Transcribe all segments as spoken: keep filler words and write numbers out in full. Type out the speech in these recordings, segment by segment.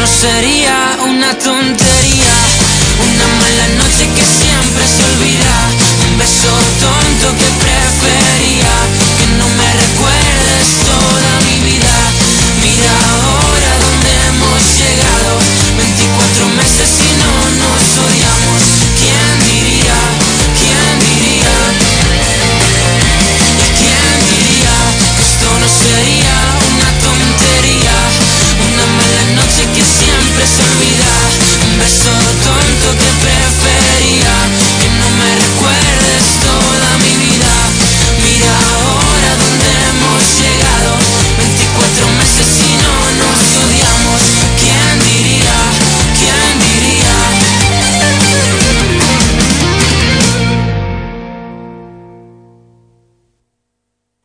no sería una tontería, una mala noche que siempre se olvida, un beso tonto que prefería, que no me recuerdes toda mi vida. Mira ahora dónde hemos llegado, veinticuatro meses y no nos odiamos. ¿Quién diría? ¿Quién diría? ¿Y quién diría que esto no sería una tontería, una mala noche que siempre se olvida, un beso tonto que prefería, que no me recuerdes toda mi vida. Mira ahora dónde hemos llegado, veinticuatro meses y no nos odiamos. ¿Quién diría? ¿Quién diría?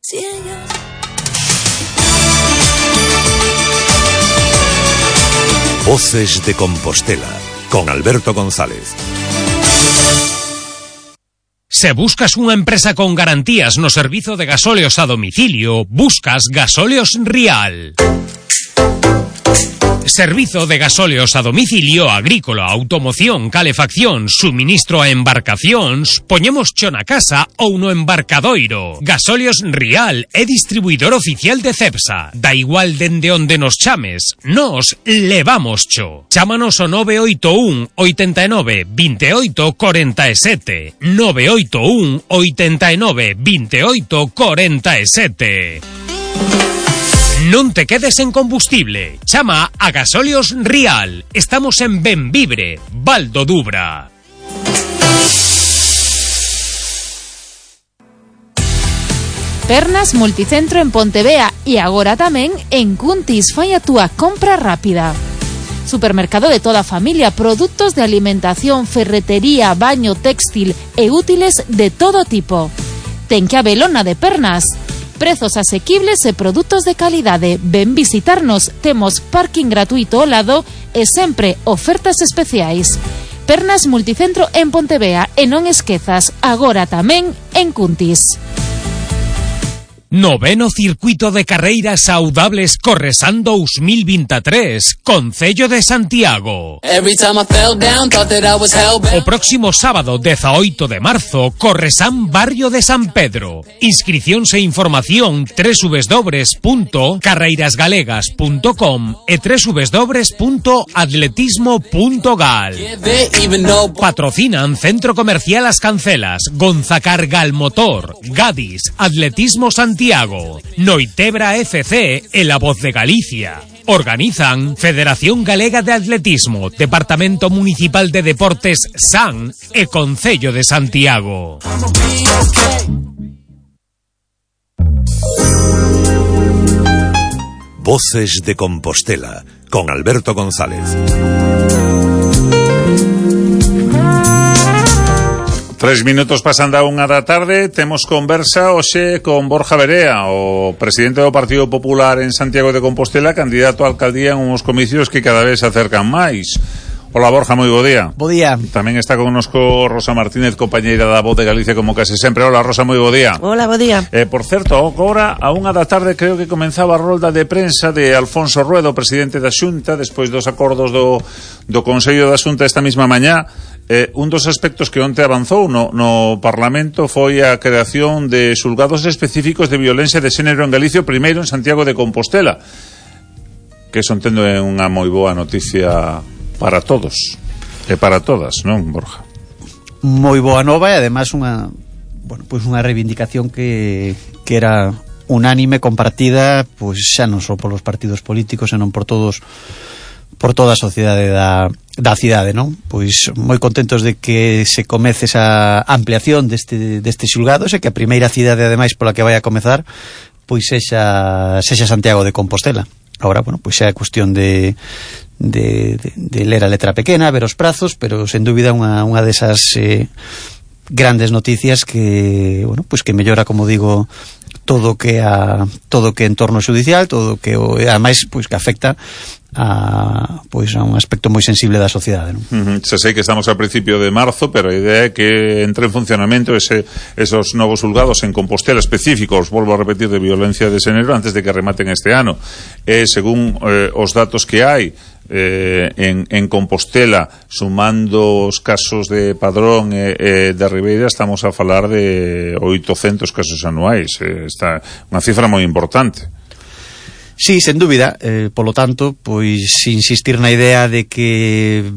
Si ella... Voces de Compostela, con Alberto González. Se buscas unha empresa con garantías no servizo de gasóleos a domicilio, buscas Gasóleos Rial. Servizo de gasóleos a domicilio agrícola, automoción, calefacción, suministro a embarcacións, poñemos cho na casa ou no embarcadoiro. Gasóleos Rial é distribuidor oficial de Cepsa. Da igual dende onde nos chames, nos levamos cho. Chámanos o nove oito un, oitenta e nove, veintioito, cuarenta e sete. nove oito un, oitenta e nove, veintioito, cuarenta e sete. Non te quedes en combustible. Chama a Gasóleos Rial. Estamos en Benvibre, Val do Dubra. Pernas Multicentro en Pontevea e agora tamén en Cuntis. Fai a túa compra rápida. Supermercado de toda a familia, produtos de alimentación, ferretería, baño, textil e útiles de todo tipo. Ten que habelona de Pernas. Prezos asequibles e produtos de calidade. Ven visitarnos, temos parking gratuito ao lado e sempre ofertas especiais. Pernas Multicentro en Pontevea e non esquezas, agora tamén en Cuntis. Noveno Circuito de Carreiras Saudables Corresan dos mil veintitrés, Concello de Santiago. O próximo sábado dezaoito de marzo, Corresan Barrio de San Pedro. Inscricións e información doble u doble u doble u punto carreiras galegas punto com e doble u doble u doble u punto atletismo punto gal. Patrocinan Centro Comercial As Cancelas, Gonzacar Galmotor, Gadis, Atletismo Santiago, Noitebra F C e La Voz de Galicia. Organizan Federación Galega de Atletismo, Departamento Municipal de Deportes S A N e Concello de Santiago. Voces de Compostela, con Alberto González. Tres minutos pasan da unha da tarde. Temos conversa hoxe con Borja Verea, o presidente do Partido Popular en Santiago de Compostela, candidato a alcaldía en uns comicios que cada vez se acercan máis. Hola Borja, moi bo día. Bo día. Tamén está connosco Rosa Martínez, compañeira da Voz de Galicia como case sempre. Hola Rosa, moi bo día. Hola, bo día. Eh, por certo, agora a unha da tarde creo que comenzaba a rolda de prensa de Alfonso Rueda, presidente da Xunta, despois dos acordos do, do Consello da Xunta esta mesma mañá. Eh, un dos aspectos que onte avanzou no, no Parlamento foi a creación de xulgados específicos de violencia de xénero en Galicia, primeiro en Santiago de Compostela, que son tendo é unha moi boa noticia para todos e para todas, non, Borja? Moi boa nova e ademais unha, bueno, pois unha reivindicación que, que era unánime, compartida, pois xa non só polos partidos políticos, senón por todos, por toda a sociedade da, da cidade, non? Pois moi contentos de que se comece esa ampliación deste, deste xulgados e que a primeira cidade ademais pola que vai a comezar pois sexa, sexa Santiago de Compostela. Agora, bueno, pois xa é cuestión de, de, de, de ler a letra pequena, ver os prazos, pero sen dúbida unha, unha desas eh, grandes noticias que, bueno, pois que mellora, como digo, todo que a todo que entorno judicial, todo que o, ademais pois que afecta a pois a un aspecto moi sensible da sociedade, non? Uh-huh. Se sei que estamos a principio de marzo, pero a idea é que entre en funcionamento ese, esos novos xulgados en Compostela específicos, volvo a repetir, de violencia de xénero antes de que rematen este ano. E según eh, os datos que hai eh, en, en Compostela, sumando os casos de Padrón e eh, eh, de Ribeira, estamos a falar de oitocentos casos anuais. Eh, está unha cifra moi importante. Sí, sen dúbida, eh, polo tanto, pois insistir na idea de que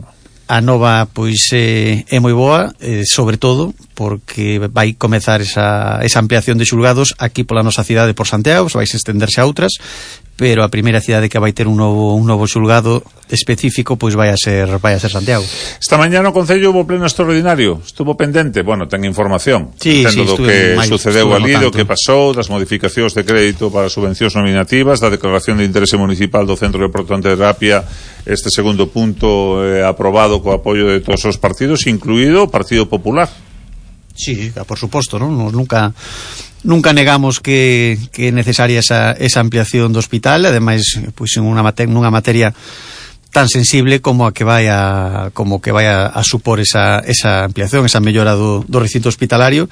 a nova pois eh, é moi boa, eh, sobre todo porque vai comezar esa, esa ampliación de xulgados aquí pola nosa cidade, por Santiago, vai se estenderse a outras, pero a primeira cidade que vai ter un novo un novo xulgado específico pois vai a ser vai a ser Santiago. Esta mañá no Concello hubo pleno extraordinario, estuvo pendente, bueno, ten información, sí, entendo sí, do que máis, sucedeu ali, do que pasou, das modificacións de crédito para subvencións nominativas, da declaración de interese municipal do Centro de Protonterapia, este segundo punto eh, aprobado co apoio de todos os partidos, incluído o Partido Popular. Sí, por suposto, non? Nos nunca nunca negamos que, que é necesaria esa, esa ampliación do hospital, ademais, pois en unha mate, nunha materia tan sensible como a que vai a como que vai a, a supor esa, esa ampliación, esa mellora do, do recinto hospitalario.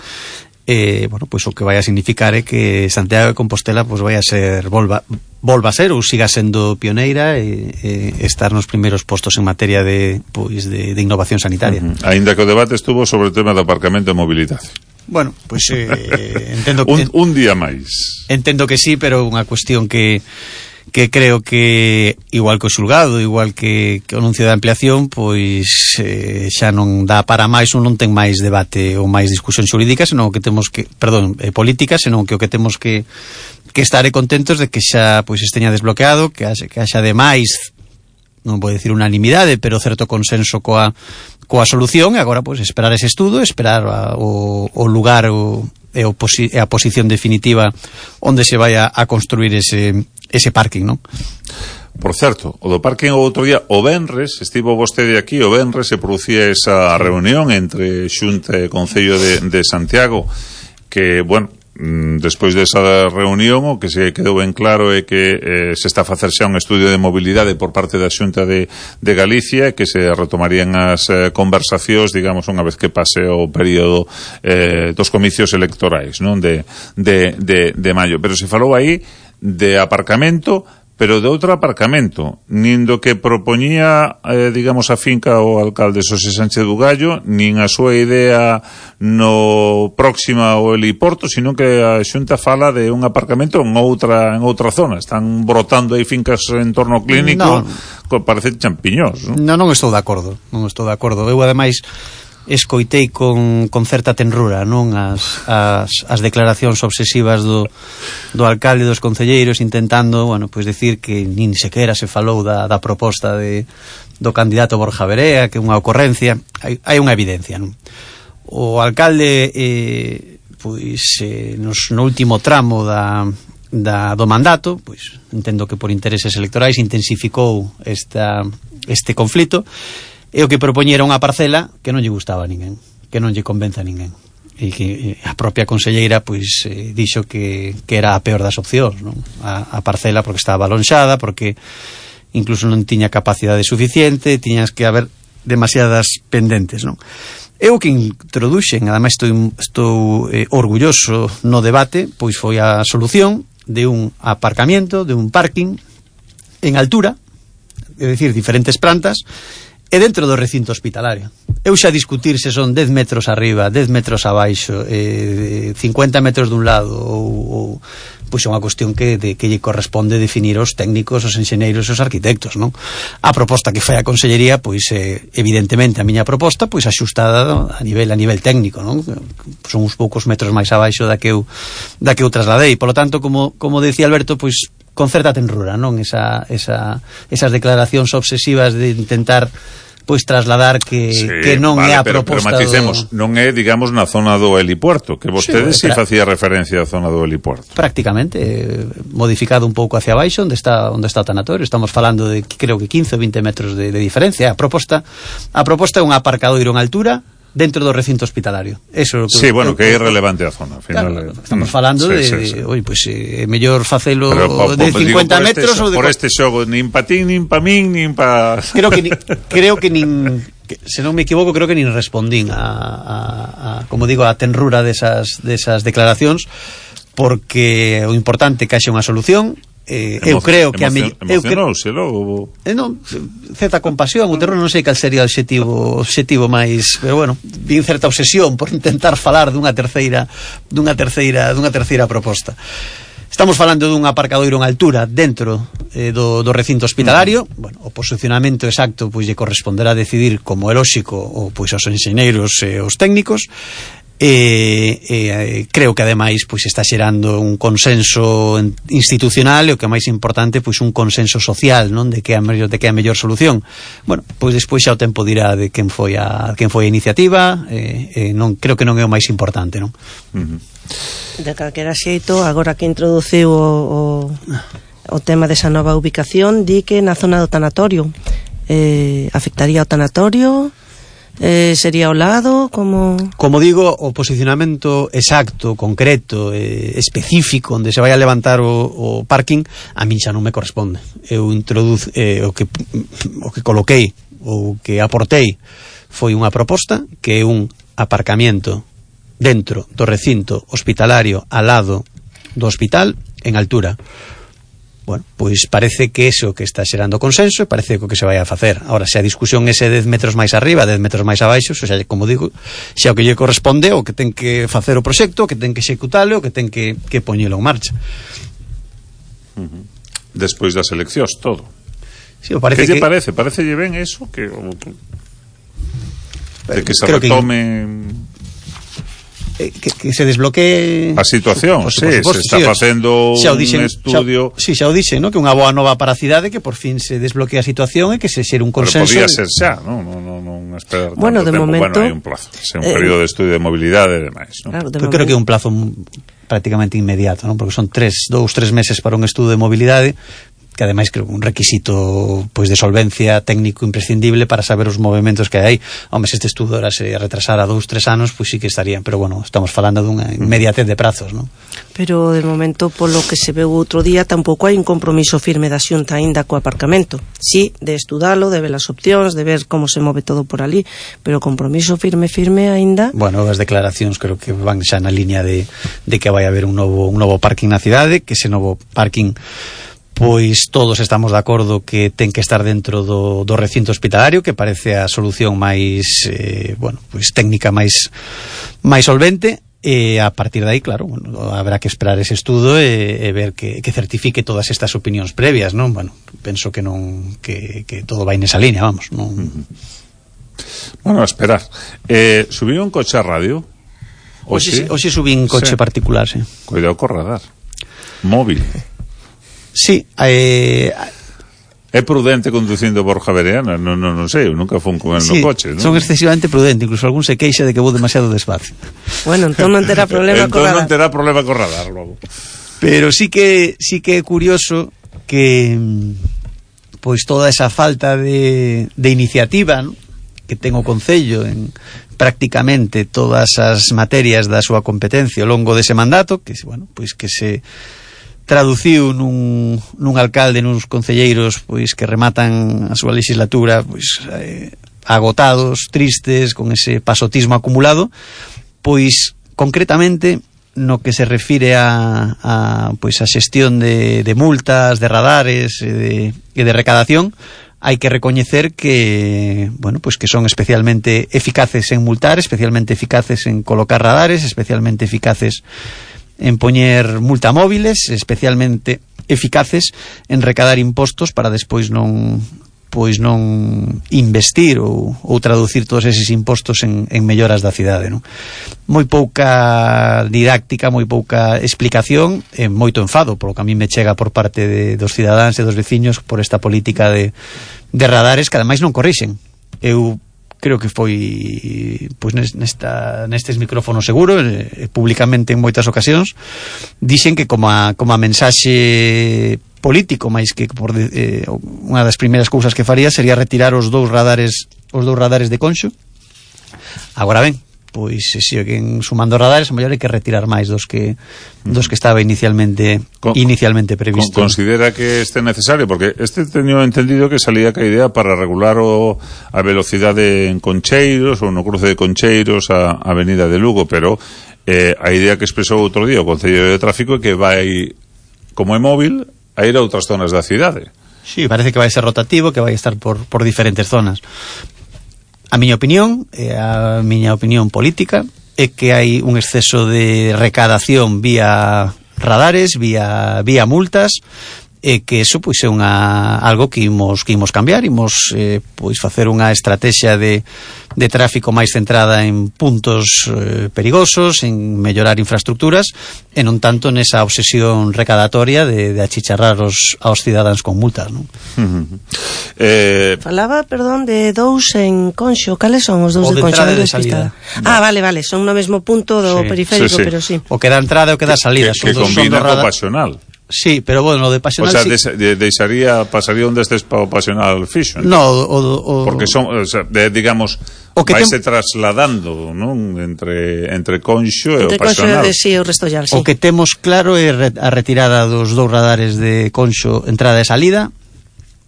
Eh, bueno, pois o que vai a significar é que Santiago de Compostela pois vai a ser volva, volva a ser ou siga sendo pioneira e, e estar nos primeiros postos en materia de pois de, de innovación sanitaria. Uh-huh. Ainda que o debate estuvo sobre o tema do aparcamento e mobilidade. Bueno, pois pues, eh, entendo que un, un día máis. Entendo que sí, pero unha cuestión que que creo que igual que o xulgado, igual que, que o anuncio de ampliación, pois eh, xa non dá para máis, ou non ten máis debate ou máis discusión xurídica, senón que temos que, perdón, eh, política, senón que o que temos que que estaré contentos de que xa pois esteña desbloqueado, que haxa, que haxa de máis, non vou dicir unanimidade, pero certo consenso coa coa solución, e agora pois esperar ese estudo, esperar a, o, o lugar o, e, o posi, e a posición definitiva onde se vai a, a construir ese ese parking, non? Por certo, o do parking o outro día, o venres, estivo vostede aquí, o venres se producía esa reunión entre Xunta e Concello de, de Santiago, que, bueno, despois desa reunión o que se quedou ben claro é que eh, se está a facer xa un estudio de mobilidade por parte da Xunta de, de Galicia e que se retomarían as eh, conversacións, digamos, unha vez que pase o período eh, dos comicios electorais, non? De, de, de, de maio. Pero se falou aí de aparcamento, pero de outro aparcamento, nin do que propoñía, eh, digamos, a finca o alcalde Xosé Sánchez Bugallo, nin a súa idea no próxima ao heliporto, sino que a Xunta fala de un aparcamento en outra en outra zona. Están brotando aí fincas en torno clínico, no, parece champiñós, non? Non, non estou de acordo, non estou de acordo. Eu, ademais, escoitei con, con certa tenrura, non, as, as, as declaracións obsesivas do, do alcalde e dos concelleiros intentando, bueno, pois decir que nin sequera se falou da, da proposta de, do candidato Borja Verea, que é unha ocorrencia. Hai, hai unha evidencia, non? O alcalde eh, pois eh, nos, no último tramo da, da, do mandato, pois entendo que por intereses electorais intensificou esta, este conflito, e o que propoñera unha parcela que non lle gustaba a ninguén, que non lle convence a ninguén, e que a propia conselleira pois eh, dixo que, que era a peor das opcións, non? A, a parcela porque estaba alonxada, porque incluso non tiña capacidade suficiente, tiñas que haber demasiadas pendentes, non? Eu que introduxen, ademais estou, estou eh, orgulloso no debate, pois foi a solución de un aparcamiento, de un parking en altura, é dicir, diferentes plantas, e dentro do recinto hospitalario. Eu xa discutir se son dez metros arriba, dez metros abaixo, eh, cincuenta metros dun lado, ou, ou pois é unha cuestión que, de, que lle corresponde definir os técnicos, os enxeneiros e os arquitectos, non? A proposta que fai a Consellería, pois eh, evidentemente a miña proposta, pois axustada a nivel a nivel técnico, non? Son uns poucos metros máis abaixo da que eu da que eu trasladei. Polo tanto, como como decía Alberto, pois con certa tenrura, non? Esa, esa, esas declaracións obsesivas de intentar pois trasladar que, sí, que non vale, é a pero, proposta pero maticemos, do... non é, digamos, na zona do helipuerto, que vostede si sí, sí, facía referencia á zona do helipuerto. Prácticamente, eh, modificado un pouco hacia abaixo, onde está onde está o tanatorio. Estamos falando de, creo que quince ou vinte metros de, de diferencia. A proposta a proposta é un aparcadoiro en altura dentro do recinto hospitalario. Eso que, sí, bueno, que é irrelevante a zona, ao final. Claro, estamos falando sí, de, sí, sí. Oi, pois pues, é eh, mellor facelo pero, pa, de cincuenta digo, metros este, ou de por este xogo, nin pa ti, nin pa min, nin pa... Creo que ni, creo que nin que, se non me equivoco, creo que nin respondín a, a, a como digo, a tenrura desas desas declaracións, porque o importante é que haxe unha solución Eh, eu creo que a me... emocionouse logo. Eh, non, certa compasión, o terror non sei cal sería o obxectivo, obxectivo máis, pero bueno, vi certa obsesión por intentar falar dunha terceira, dunha terceira, dunha terceira proposta. Estamos falando dun aparcadoiro en altura dentro eh, do, do recinto hospitalario. Uh-huh. Bueno, o posicionamento exacto pois lle corresponderá decidir, como é lóxico, ou pois aos enxeñeiros e os técnicos. E, e creo que ademais pois está xerando un consenso institucional e o que é máis importante pois un consenso social, non, de que é a mellor, de que é a mellor solución. Bueno, pois despois xa o tempo dirá de quen foi a quen foi a iniciativa, e, e non creo que non é o máis importante, non? Uh-huh. De calquera xeito, agora que introduciu o, o, o tema desa nova ubicación, di que na zona do tanatorio eh, afectaría o tanatorio. Eh, sería ao lado, como... Como digo, o posicionamento exacto, concreto, eh, específico onde se vai a levantar o, o parking, a min xa non me corresponde. Eu introduz, eh, o que o que coloquei, o que aportei foi unha proposta que é un aparcamiento dentro do recinto hospitalario ao lado do hospital en altura. Bueno, pois parece que eso que está xerando consenso e parece que o que se vai a facer. Ahora, se a discusión é se dez metros máis arriba, dez metros máis abaixo, xa, como digo, xa o que lle corresponde, o que ten que facer o proxecto, o que ten que executalo, o que ten que, que poñelo en marcha. Uh-huh. Despois das eleccións, todo. Sí, parece que lle que... parece? Parece lle ben eso? Que, de que se Creo retome... Que... Que, que se desbloquee a situación, pues, sí, suposto, se está sí, facendo xa o dixen, un estudio. Xa, sí, xa o dixen, ¿no? Que unha boa nova para a cidade, que por fin se desbloquea a situación e que se xere un consenso. Pero podía ser xa, non no, no, no, no esperar bueno, tanto de tempo. momento, bueno, hai un plazo, é un eh, período de estudio de mobilidade e demais, ¿no? Claro, de Pero creo que é un plazo prácticamente inmediato, ¿no? Porque son tres, dous, tres meses para un estudo de mobilidade, que ademais creo un requisito pois de solvencia técnico imprescindible para saber os movimentos que hai. Home, se este estudo era se retrasara dous, tres anos, pois sí que estarían, pero bueno, estamos falando dunha inmediatez de prazos, non? Pero de momento, polo que se veu outro día, tampouco hai un compromiso firme da Xunta aínda co aparcamento. Sí, de estudalo, de ver as opcións, de ver como se move todo por ali, pero compromiso firme, firme aínda... Bueno, as declaracións creo que van xa na liña de, de que vai haber un novo, un novo parking na cidade, que ese novo parking pois todos estamos de acordo que ten que estar dentro do, do recinto hospitalario, que parece a solución máis eh, bueno, pois técnica máis máis solvente, e a partir de aí, claro, bueno, habrá que esperar ese estudo e, e ver que, que certifique todas estas opinións previas, non? Bueno, penso que non que, que todo vai nesa línea, vamos, non. Bueno, a esperar. Eh, subiu un coche a radio? Hoxe, hoxe subí un coche sí. particular, sí. Cuidado co radar. Móvil. Sí, eh, é prudente conducindo Borja Bereana, non, non, non sei, eu nunca fun con el sí, no coche, non? Son excesivamente prudente, incluso algún se queixa de que vou demasiado despacio. Bueno, entón non terá problema co radar. Entón non terá problema co radar logo. Pero sí que sí que é curioso que pois toda esa falta de, de iniciativa, ¿no?, que ten o Concello en prácticamente todas as materias da súa competencia ao longo dese mandato, que bueno, pois que se traduciu nun, nun alcalde, nuns concelleiros pois que rematan a súa legislatura pois eh, agotados, tristes, con ese pasotismo acumulado, pois concretamente no que se refire a, a pois a xestión de, de multas, de radares e de, e de recadación, hai que recoñecer que, bueno, pois que son especialmente eficaces en multar, especialmente eficaces en colocar radares, especialmente eficaces en poñer multamóviles, especialmente eficaces en recadar impostos para despois non pois non investir ou, ou traducir todos eses impostos en, en melloras da cidade, non? Moi pouca didáctica, moi pouca explicación e moito enfado polo que a mí me chega por parte de, dos cidadáns e dos veciños por esta política de, de radares que ademais non corrixen. Eu creo que foi pois nesta, nestes micrófonos seguros eh, públicamente en moitas ocasións dixen que como a, como a mensaxe político máis que por eh, unha das primeiras cousas que faría sería retirar os dous radares os dous radares de Conxo. Agora ben, pois se siguen sumando radares, a mellor hai que retirar máis dos que dos que estaba inicialmente con, inicialmente previsto. Con, considera que este necesario, porque este teño entendido que salía ca idea para regular o, a velocidade en Concheiros ou no cruce de Concheiros a, a Avenida de Lugo, pero eh, a idea que expresou outro día o Concello de Tráfico é que vai, como é móvil, a ir a outras zonas da cidade. Sí, parece que vai ser rotativo, que vai estar por, por diferentes zonas. A miña opinión, e a miña opinión política, é que hai un exceso de recadación vía radares, vía, vía multas, e que eso pois é unha algo que imos que imos cambiar, imos eh, pois facer unha estrategia de de tráfico máis centrada en puntos eh, perigosos, en mellorar infraestructuras e non tanto nesa obsesión recadatoria de, de achicharrar os aos cidadáns con multas, non? Uh-huh. Eh, Falaba, perdón, de dous en Conxo. Cales son os dous de de Conxo? entrada e de salida. Ah, vale, vale, son no mesmo punto do Sí. periférico, Sí, sí. pero sí. O que dá entrada e o que dá salida, que, son que dos son combina dos co radar. pasional. Sí, pero bueno, o de O pasional sea, sí. des, de, deixaría, pasaría un destes pa o pasional fixo. No, o, o, Porque son, o sea, de, digamos, O que vaise tem- trasladando, non? Entre, entre Conxo e o Entre Conxo pasional. e sí, o Restollar, sí. O que temos claro é re- a retirada dos dous radares de Conxo entrada e salida,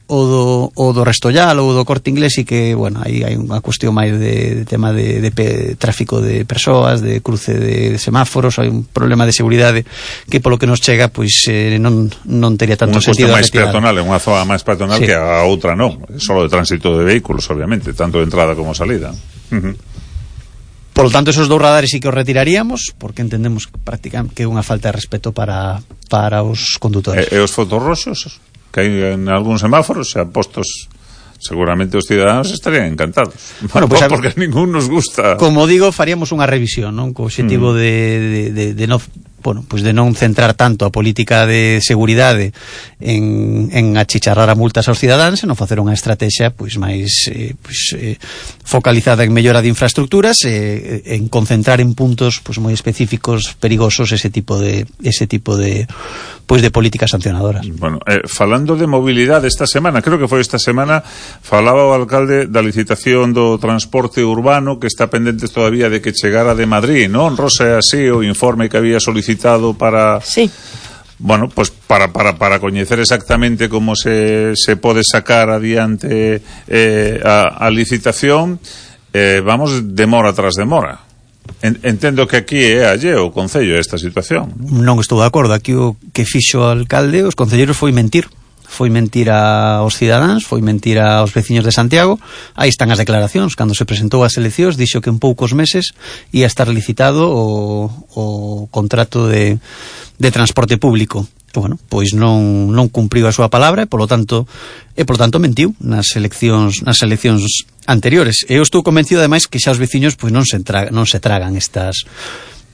o do, o do Restollal ou do Corte Inglés, e que, bueno, aí hai unha cuestión máis de, de tema de, de pe, tráfico de persoas, de cruce de, de semáforos, hai un problema de seguridade que polo que nos chega, pois eh, non, non tería tanto Unha cuestión sentido a máis retirada. peatonal, é unha zona máis peatonal Sí. que a outra non. É solo de tránsito de vehículos, obviamente, tanto de entrada como salida. Uh-huh. Por lo tanto, esos dous radares sí que os retiraríamos, porque entendemos que prácticamente que é unha falta de respeto para, para os condutores. E, e os fotorroxos que hai en algúns semáforos xa postos, seguramente os cidadáns estarían encantados. Bueno, pues, porque a ningún nos gusta. Como digo, faríamos unha revisión, non? Co obxectivo Mm. de, de, de, de non, bueno, pues de non centrar tanto a política de seguridade en, en achicharrar a multas aos cidadáns, e non facer unha estrategia pois máis eh, pois, eh, focalizada en mellora de infraestructuras, e eh, en concentrar en puntos pois moi específicos, perigosos, ese tipo de ese tipo de pois de políticas sancionadoras. Bueno, eh, falando de mobilidade esta semana, creo que foi esta semana, falaba o alcalde da licitación do transporte urbano que está pendente todavía de que chegara de Madrid, non? Rosa, é así o informe que había solicitado para... Sí. Bueno, pues para, para, para coñecer exactamente como se, se pode sacar adiante eh, a, a licitación, eh, vamos demora tras demora. En, entendo que aquí é alleo o Concello esta situación. Non estou de acordo. Aquí o que fixo o alcalde, os concelleiros, foi mentir. Foi mentir aos cidadáns, foi mentir aos veciños de Santiago. Aí están as declaracións. Cando se presentou as eleccións, dixo que en poucos meses ia estar licitado o, o contrato de, de transporte público. E, bueno, pois non, non cumpriu a súa palabra e, polo tanto, e, polo tanto mentiu nas eleccións, nas eleccións anteriores. E eu estou convencido, ademais, que xa os veciños pois non se, entra, non se tragan estas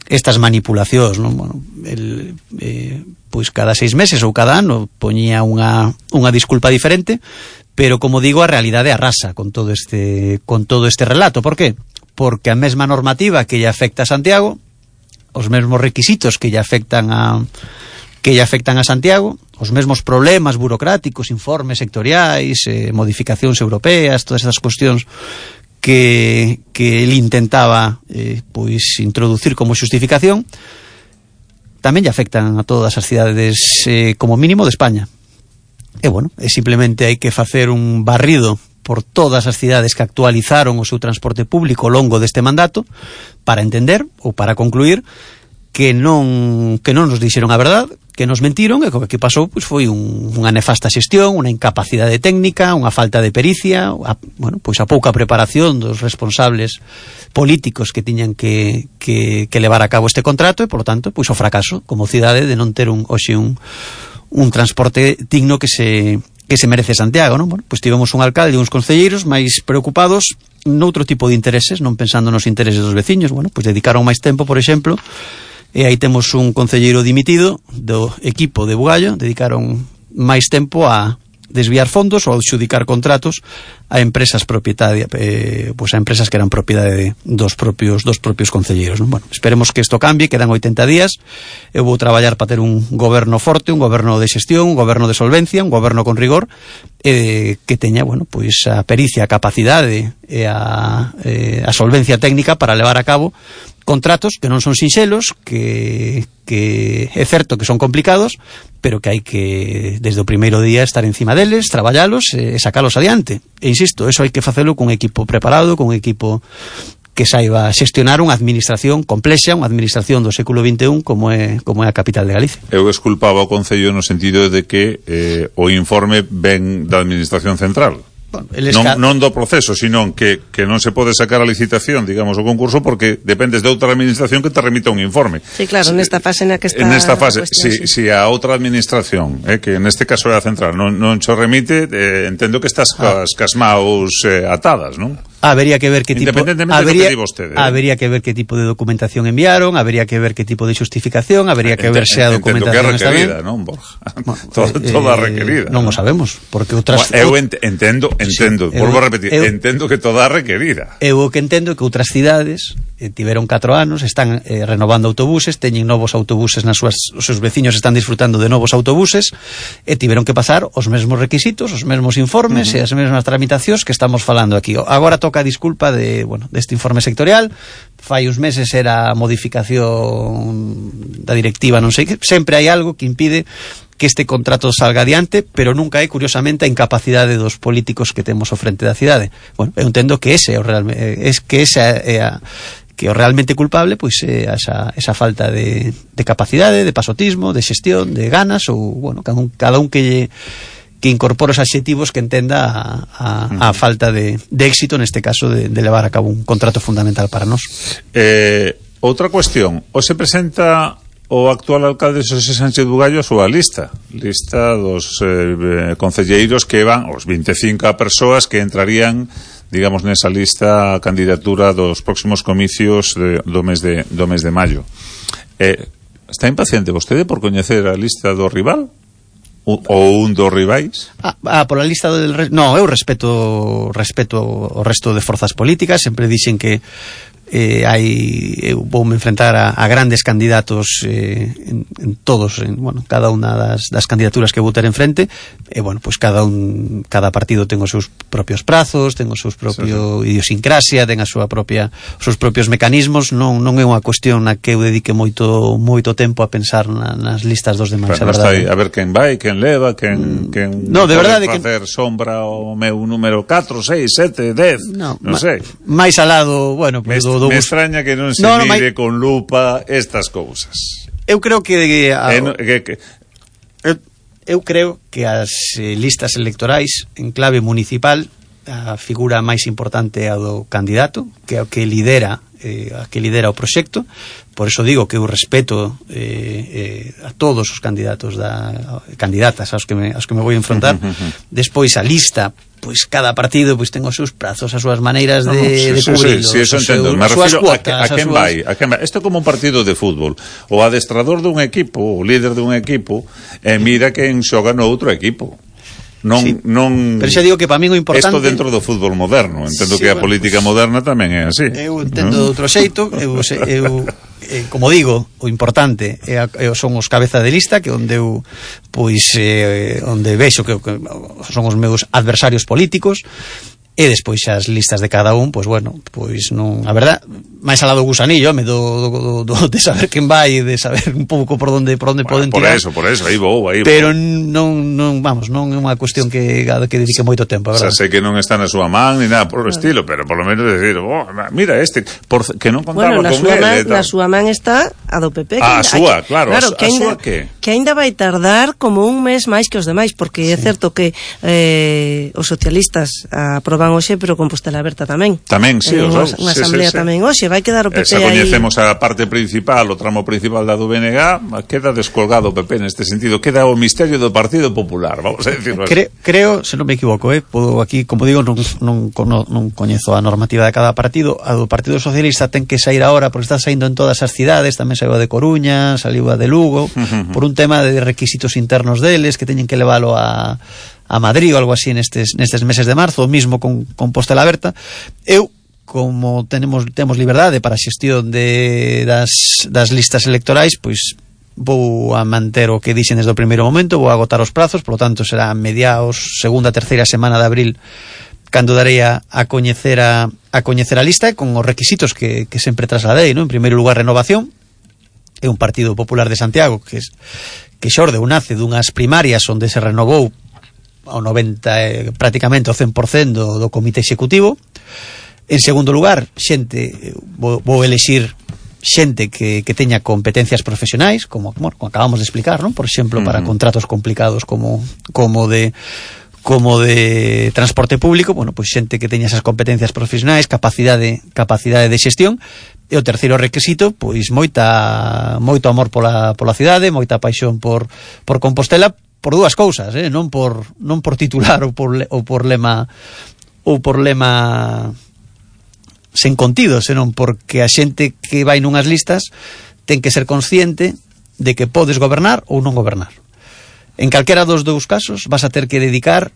estas manipulacións, non? Bueno, el, eh, pois cada seis meses ou cada ano poñía unha, unha disculpa diferente, pero, como digo, a realidade arrasa con todo este con todo este relato. Por qué? Porque a mesma normativa que lle afecta a Santiago, os mesmos requisitos que lle afectan a que lle afectan a Santiago, os mesmos problemas burocráticos, informes sectoriais, eh, modificacións europeas, todas esas cuestións que, que ele intentaba eh, pois introducir como xustificación, tamén lle afectan a todas as cidades eh, como mínimo de España. E bueno, é simplemente hai que facer un barrido por todas as cidades que actualizaron o seu transporte público ao longo deste mandato para entender ou para concluir que non que non nos dixeron a verdade, que nos mentiron, e o que pasou pois foi un, unha nefasta xestión, unha incapacidade técnica, unha falta de pericia, a, bueno, pois a pouca preparación dos responsables políticos que tiñan que, que, que levar a cabo este contrato, e, polo tanto, pois o fracaso como cidade de non ter un, hoxe un, un transporte digno que se que se merece Santiago, non? Bueno, pois tivemos un alcalde e uns concelleiros máis preocupados noutro tipo de intereses, non pensando nos intereses dos veciños. Bueno, pois dedicaron máis tempo, por exemplo, e aí temos un concelleiro dimitido do equipo de Bugallo, dedicaron máis tempo a desviar fondos ou adxudicar contratos a empresas propietarias, eh, pues a empresas que eran propiedade de, dos propios dos propios concelleiros, non? Bueno, esperemos que isto cambie, quedan oitenta días. Eu vou traballar para ter un goberno forte, un goberno de xestión, un goberno de solvencia, un goberno con rigor, eh, que teña, bueno, pois a pericia, a capacidade e a, eh, a solvencia técnica para levar a cabo contratos que non son sinxelos, que, que é certo que son complicados, pero que hai que, desde o primeiro día, estar encima deles, traballalos e sacalos adiante. E insisto, eso hai que facelo cun equipo preparado, cun equipo que saiba xestionar unha administración complexa, unha administración do século vinte e un como é, como é a capital de Galicia. Eu esculpaba o Concello no sentido de que eh, o informe ven da administración central. Bueno, non, non do proceso, sino que, que non se pode sacar a licitación, digamos, o concurso, porque dependes de outra administración que te remita un informe. Sí, claro, nesta fase na que está... En esta fase, cuestión, si, sí. si a outra administración, eh, que neste caso é a central, non, non cho remite, eh, entendo que estás ah. cas, cas maus eh, atadas, non? Habería que ver que tipo habería, que vostede, ¿eh? habería que ver que tipo de documentación enviaron, habería que ver que tipo de justificación, habería que Ent ver se a documentación está ben. Non, Borja? Bueno, toda, eh, toda requerida. Non o sabemos, porque outras bueno, eu ent entendo, entendo, sí, volvo a repetir, eu, entendo que toda requerida. Eu o que entendo é que outras cidades eh, tiveron catro anos, están eh, renovando autobuses, teñen novos autobuses nas súas, os seus veciños están disfrutando de novos autobuses e tiveron que pasar os mesmos requisitos, os mesmos informes uh -huh. e as mesmas tramitacións que estamos falando aquí. Agora toca a disculpa de, bueno, deste informe sectorial. Fai uns meses era a modificación da directiva, non sei que, sempre hai algo que impide que este contrato salga adiante, pero nunca hai, curiosamente, a incapacidade dos políticos que temos ao frente da cidade. Bueno, eu entendo que ese é o real, é que esa é a que o realmente culpable pois é esa, esa falta de, de capacidade, de pasotismo, de xestión, de ganas, ou, bueno, cada un, cada un que lle que incorpora os adxetivos que entenda a, a, a falta de, de éxito neste caso de, de levar a cabo un contrato fundamental para nós. Eh, outra cuestión, o se presenta o actual alcalde Xosé Sánchez Bugallo a súa lista lista dos eh, concelleiros que van, os vinte e cinco persoas que entrarían, digamos, nesa lista a candidatura dos próximos comicios de, do, mes de, do mes de maio. Eh, está impaciente vostede por coñecer a lista do rival? Ou un dos rivais? Ah, ah, pola lista del... Re... No, eu respeto respeto o resto de forzas políticas, sempre dixen que eh, hai, eu voume enfrentar a, a grandes candidatos eh, en, en todos, en, bueno, cada unha das, das candidaturas que vou ter enfrente, e bueno, pues cada un cada partido ten os seus propios prazos, ten os seus propio sí, sí. idiosincrasia, ten a súa propia os seus propios mecanismos, non non é unha cuestión na que eu dedique moito moito tempo a pensar na, nas listas dos demais, a verdade. A ver quen vai, quen leva, quen, quen no, de verdade facer que... sombra o meu número catro, seis, sete, dez, no, non sei. Máis alado, bueno, pues, me, do, do me extraña que non se no, no, mire mai... con lupa estas cousas. Eu creo que, a, eh, no, que, que... Eu, eu creo que as eh, listas electorais en clave municipal, a figura máis importante é a do candidato, que é o que lidera eh, a que lidera o proxecto. Por eso digo que eu respeto eh, eh, a todos os candidatos da candidatas aos que me, aos que me vou enfrontar. Despois a lista, pois cada partido pois ten os seus prazos, as súas maneiras de, no, sí, de cubrirlo, sí, sí, eso entendo. Me refiro a, que, a quen súas... vai, a quen vai. Isto é como un partido de fútbol. O adestrador dun equipo, o líder dun equipo, eh, mira quen xoga no outro equipo. Non, sí, non... Pero xa digo que para min o importante... Isto dentro do fútbol moderno. Entendo sí, que a bueno, política pues, moderna tamén é así. Eu entendo ¿no? de outro xeito. Eu, eu eh, como digo, o importante é, é, son os cabeza de lista, que onde eu pois eh, onde vexo que, que son os meus adversarios políticos. E despois as listas de cada un, pois bueno, pois non, a verdad, máis alado do gusanillo, me do, do, do, de saber quen vai, de saber un pouco por onde por onde bueno, poden por tirar. Por eso, por eso, aí vou, aí vou. Pero non, non, vamos, non é unha cuestión que que dedique moito tempo, a verdad. O sea, sei que non está na súa man ni nada por o estilo, pero por lo menos decir, oh, mira este, por, que non contaba bueno, con él. Man, na súa man está a do P P. Ah, a súa, claro, claro, a, que a ainda, súa que? Que ainda vai tardar como un mes máis que os demais, porque sí. É certo que eh, os socialistas aproban hoxe, pero Compostela Aberta tamén. Tamén, sí, en os unha sí, asamblea sí, sí. tamén hoxe, vai quedar o P P Esa aí. coñecemos a parte principal, o tramo principal da do B N G, queda descolgado o P P neste sentido, queda o misterio do Partido Popular, vamos a decirlo así. Cre, creo, se non me equivoco, eh, podo aquí, como digo, non, non, non, non coñezo a normativa de cada partido. A do Partido Socialista ten que sair agora, porque está saindo en todas as cidades, tamén saiu a de Coruña, saliu a de Lugo, por un tema de requisitos internos deles, que teñen que leválo a a Madrid ou algo así nestes, nestes meses de marzo, o mismo con Compostela Aberta. Eu, como tenemos temos liberdade para a xestión de, das, das listas electorais, pois vou a manter o que dixen desde o primeiro momento, vou a agotar os prazos, por lo tanto será mediaos, segunda, terceira semana de abril cando darei a, a coñecer a, a coñecer a lista con os requisitos que, que sempre trasladei, ¿no? En primeiro lugar, renovación. É un Partido Popular de Santiago que, es, que xorde ou nace dunhas primarias onde se renovou ao noventa, eh, prácticamente o cen por cento do, do comité executivo. En segundo lugar, xente, vou, vou elexir xente que, que teña competencias profesionais, como, bueno, como acabamos de explicar, ¿no? Por exemplo, para uh-huh. contratos complicados como, como de como de transporte público, bueno, pois xente que teña esas competencias profesionais, capacidade capacidade de xestión. E o terceiro requisito, pois moita moito amor pola pola cidade, moita paixón por por Compostela, por dúas cousas, eh, non por non por titular ou por ou por lema ou por lema sen contido, senón porque a xente que vai nunhas listas ten que ser consciente de que podes gobernar ou non gobernar. En calquera dos dous casos vas a ter que dedicar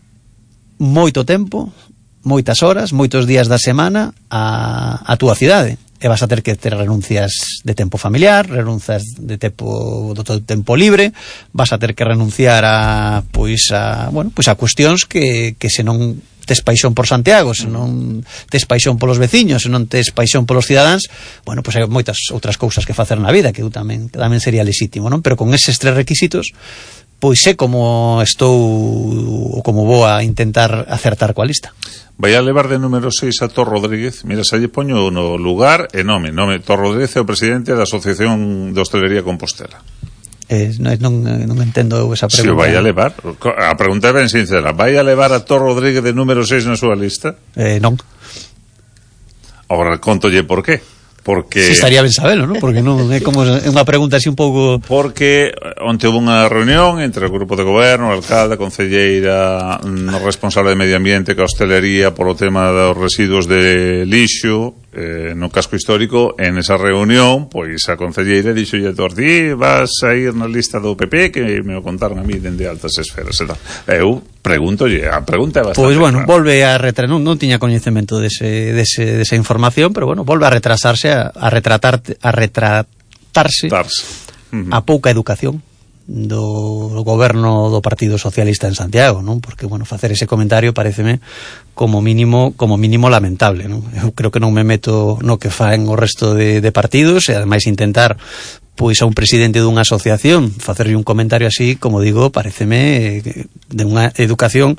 moito tempo, moitas horas, moitos días da semana a, a túa cidade. E vas a ter que ter renuncias de tempo familiar, renuncias de tempo do teu tempo libre, vas a ter que renunciar a pois a, bueno, pois a cuestións que que se non tes paixón por Santiago, se non tes paixón polos veciños, se non tes paixón polos cidadáns, bueno, pois hai moitas outras cousas que facer na vida que eu tamén que tamén sería lexítimo, non? Pero con eses tres requisitos pois sé como estou ou como vou a intentar acertar coa lista. Vai a levar de número seis a Tor Rodríguez. Mira, xa lle poño no lugar e nome, nome. Tor Rodríguez é o presidente da Asociación de Hostelería Compostela. Eh, non, non, non entendo esa pregunta. Se o vai a levar, a pregunta é ben sincera, vai a levar a Tor Rodríguez de número seis na súa lista? Eh, non. Agora contolle por qué. Porque si estaría ben sabelo, non? Porque non é como é unha pregunta así un pouco. Porque onte houve unha reunión entre o grupo de goberno, o alcalde, a concelleira, o responsable de medio ambiente, que a hostelería polo tema dos residuos de lixo eh, no casco histórico. En esa reunión, pois a concelleira dixolle a Tordí, vas a ir na lista do P P, que me o contaron a mí dende altas esferas e tal. Eu pregúntolle, a pregunta é bastante pois bueno, clara. Volve a retrasar, non, non tiña coñecemento dese, dese, desa información, pero bueno, volve a retrasarse a, a retratar a retratarse uh-huh. a pouca educación do goberno do Partido Socialista en Santiago, non? Porque bueno, facer ese comentario paréceme como mínimo como mínimo lamentable, non? Eu creo que non me meto no que faen o resto de, de partidos e ademais intentar pois a un presidente dunha asociación facerlle un comentario así, como digo, paréceme de unha educación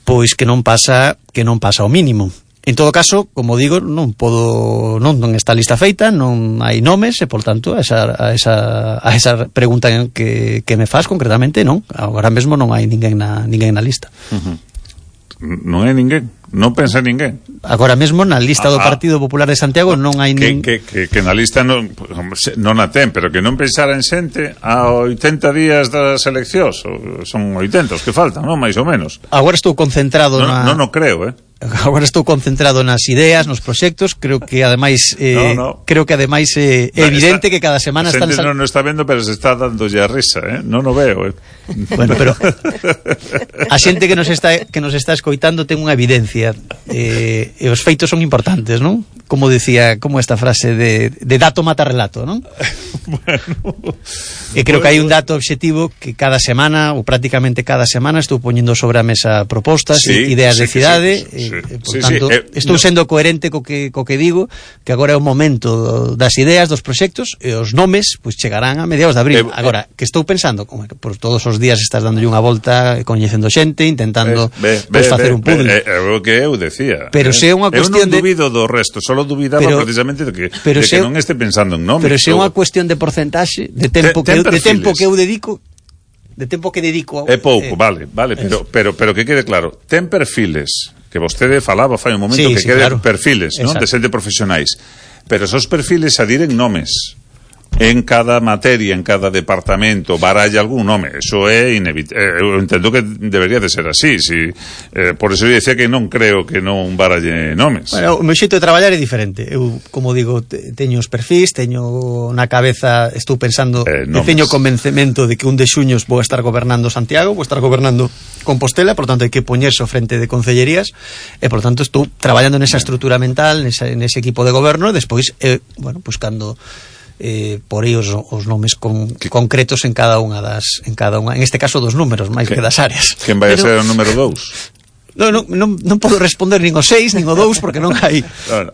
pois que non pasa que non pasa ao mínimo. En todo caso, como digo, non podo non, non está a lista feita, non hai nomes e, por tanto, a esa, a esa, a esa pregunta que, que me faz concretamente, non. Agora mesmo non hai ninguén na, ninguén na lista. Uh-huh. Non hai ninguén? Non pensa ninguén? Agora mesmo na lista do Partido Popular de Santiago non hai ninguén. Que, que, que, que na lista non, non a ten, pero que non pensara en xente a oitenta días das eleccións. Son oitenta os que faltan, non? Mais ou menos. Agora estou concentrado non, na... Non, non creo, eh? Agora estou concentrado nas ideas, nos proxectos. Creo que ademais eh, no, no. creo que ademais eh, é evidente está, que cada semana están sal... non o está vendo, pero se está dándolle a risa, eh? Non o veo, eh? Bueno, pero a xente que nos está que nos está escoitando ten unha evidencia eh, e os feitos son importantes, non? Como decía, como esta frase de, de dato mata relato, non? Bueno, e creo bueno. que hai un dato objetivo que cada semana ou prácticamente cada semana estou poñendo sobre a mesa propostas sí, ideas sí, de cidade sí, sí. e, e, por sí, tanto sí, eh, estou no. sendo coherente co que, co que digo, que agora é o momento das ideas, dos proxectos e os nomes pois chegarán a mediados de abril. Eh, agora, que estou pensando, como que por todos os días estás dándolle unha volta, coñecendo xente, intentando eh, pois, facer un puzzle. É o que eu decía. Pero eh. se é unha cuestión de... Eu non dubido do resto, solo dubidaba pero, precisamente de que, de que non este pensando en nomes. Pero se é unha cuestión de porcentaxe, de tempo, que, eu, de tempo que eu dedico de tempo que dedico é pouco, eh, vale, vale, pero, pero, pero que quede claro, ten perfiles que vostede falaba fai un momento, sí, que sí, quede claro. perfiles, non? De xente profesionais, pero esos perfiles adiren nomes en cada materia, en cada departamento, baralla algún nome. Eso é inevitable. Eu entendo que debería de ser así. Si, eh, por eso eu decía que non creo que non baralle nomes. Bueno, o meu xeito de traballar é diferente. Eu, como digo, te, teño os perfis, teño na cabeza, estou pensando, eh, teño convencemento de que un de xuños vou estar gobernando Santiago, vou estar gobernando Compostela, por tanto hai que poñerse ao frente de concellerías e, por tanto, estou traballando nesa estrutura mental, nesa, nese equipo de goberno, e despois, eh, bueno, buscando eh, por aí os, os nomes con, concretos en cada unha das, en cada unha, en este caso dos números máis que das áreas. Quen vai a ser o número dous? Non, non, non, non podo responder nin o seis nin o dous porque non hai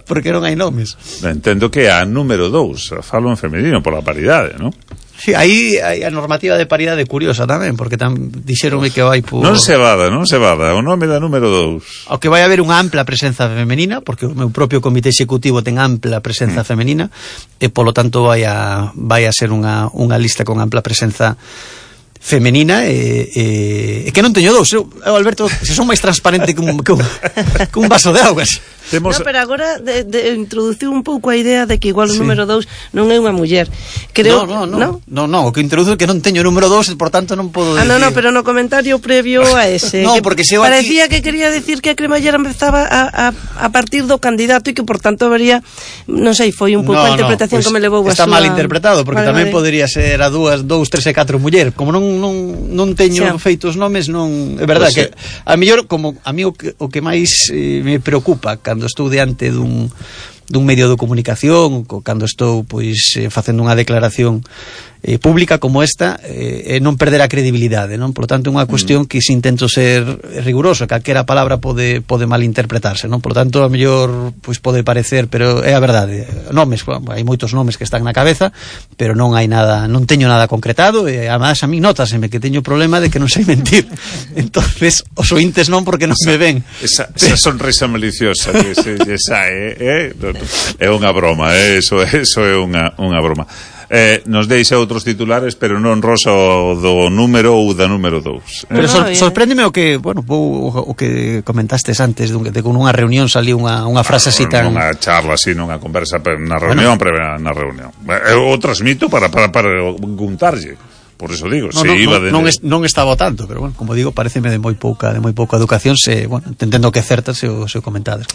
porque non hai nomes. Entendo que a número dous, falo en femenino pola paridade, non? Sí, aí hai a normativa de paridade curiosa tamén, porque tam dixeronme que vai por... Non se vada, non se vada, o nome da número dous. Ao que vai haber unha ampla presenza femenina, porque o meu propio comité executivo ten ampla presenza mm. femenina, e polo tanto vai a, vai a ser unha, unha lista con ampla presenza femenina e, e, e que non teño dous. Eu, Alberto, se son máis transparente que un, que un, que un vaso de augas. Temos... No, pero agora de, de, introduciu un pouco a idea de que igual o sí. número dous non é unha muller. Creo, no, no, no, no, no, o que introduce é que non teño o número dous e por tanto non podo decir. Ah, no, no, no, pero no comentario previo a ese. No, porque se parecía aquí... que quería decir que a cremallera empezaba a, a, a partir do candidato e que por tanto habría, non sei, foi un pouco no, a interpretación no, pues que me levou a está súa... mal interpretado, porque vale, tamén vale. podería ser a dúas, dous, tres e catro muller. Como non non non teño sí. feitos nomes, non é verdade pues, que a mellor como a mí o que, o que máis eh, me preocupa cando estou diante dun dun medio de comunicación, cando estou pois eh, facendo unha declaración eh, pública como esta, eh, non perder a credibilidade, non? Por lo tanto, é unha cuestión mm. que se intento ser riguroso, calquera palabra pode pode malinterpretarse, non? Por lo tanto, a mellor pois pode parecer, pero é a verdade. Nomes, bueno, hai moitos nomes que están na cabeza, pero non hai nada, non teño nada concretado, e además a mí nótaseme que teño problema de que non sei mentir. Entonces, os ointes non porque non esa, me ven. Esa, esa sonrisa maliciosa que se esa é, eh, é unha broma, eh, eso, eso é unha, unha broma. Eh, nos deixa outros titulares, pero non rosa o do número ou da número dous. Eh? Pero sor, sorpréndeme o que, bueno, o, o que comentaste antes, de, de con unha reunión saliu unha, unha frase ah, así tan... Unha charla así, nunha conversa na reunión, bueno. Pre, na reunión. Eu o transmito para, para, para guntarlle. Por eso digo, no, se no, iba no, de... non, es, non estaba tanto, pero bueno, como digo, pareceme de moi pouca de moi pouca educación, se, bueno, entendo que certas se o, se o comentades.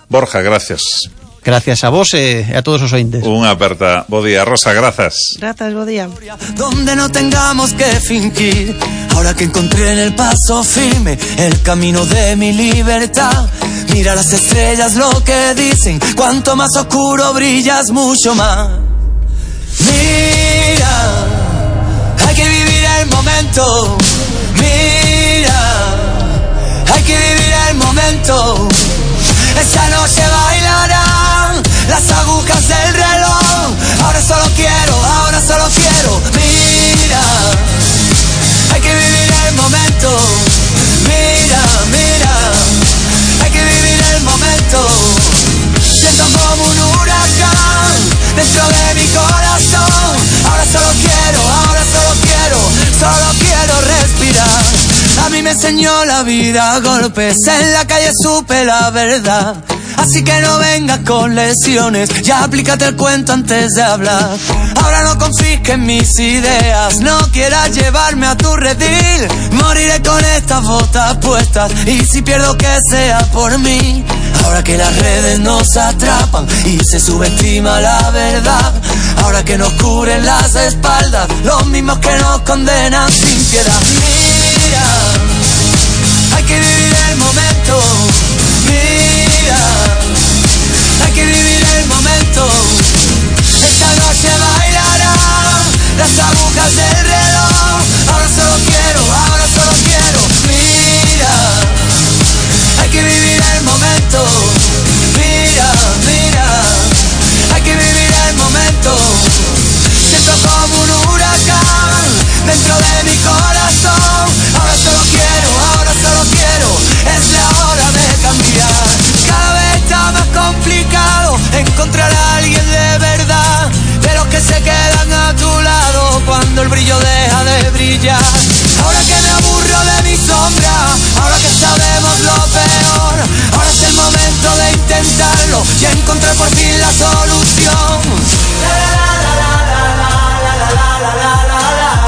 Borja, gracias. Gracias a vos e a todos os ointes. Unha aperta. Bo día, Rosa, grazas. Grazas, bo día. Donde no tengamos que fingir, ahora que encontré en el paso firme el camino de mi libertad. Mira las estrellas lo que dicen, cuanto más oscuro brillas mucho más. Mira, hay que vivir el momento. Mira, hay que vivir el momento. Esta noche bailarán las agujas del reloj. Ahora solo quiero, ahora solo quiero. Mira, hay que vivir el momento. Mira, mira, hay que vivir el momento. Siento como un huracán dentro de mi corazón. Ahora solo quiero, ahora solo quiero, solo quiero respirar. A mí me enseñó la vida a golpes, en la calle supe la verdad. Así que no vengas con lesiones, ya aplícate el cuento antes de hablar. Ahora no confisques mis ideas, no quieras llevarme a tu redil. Moriré con estas botas puestas y si pierdo que sea por mí. Ahora que las redes nos atrapan y se subestima la verdad. Ahora que nos cubren las espaldas los mismos que nos condenan sin piedad. Mira, hay que vivir el momento. Mira, hay que vivir el momento. Esta noche bailarán las agujas del reloj. Ahora solo quiero, ahora solo quiero. Mira, hay que vivir el momento. Mira, mira, hay que vivir el momento. Siento como un huracán dentro de mi corazón. Ahora solo quiero, ahora solo quiero. Es la hora de cambiar. Cada vez está más complicado encontrar a alguien de verdad, de los que se quedan a tu lado cuando el brillo deja de brillar. Ahora que me aburro de mi sombra, ahora que sabemos lo peor, ahora es el momento de intentarlo y encontrar por fin la solución. La, la, la, la, la, la, la, la, la, la, la.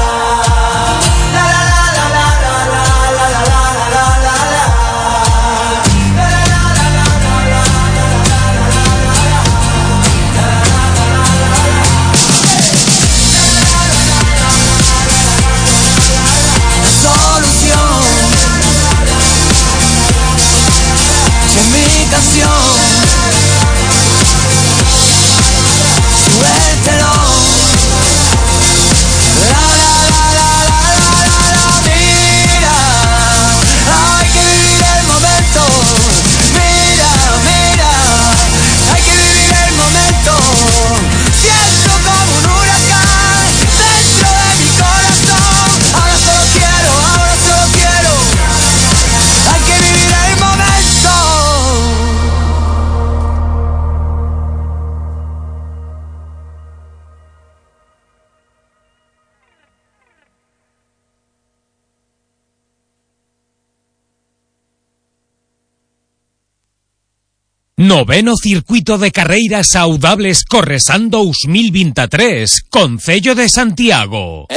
Noveno Circuito de Carreiras Saudables Corresan dos mil veintitrés, Concello de Santiago. O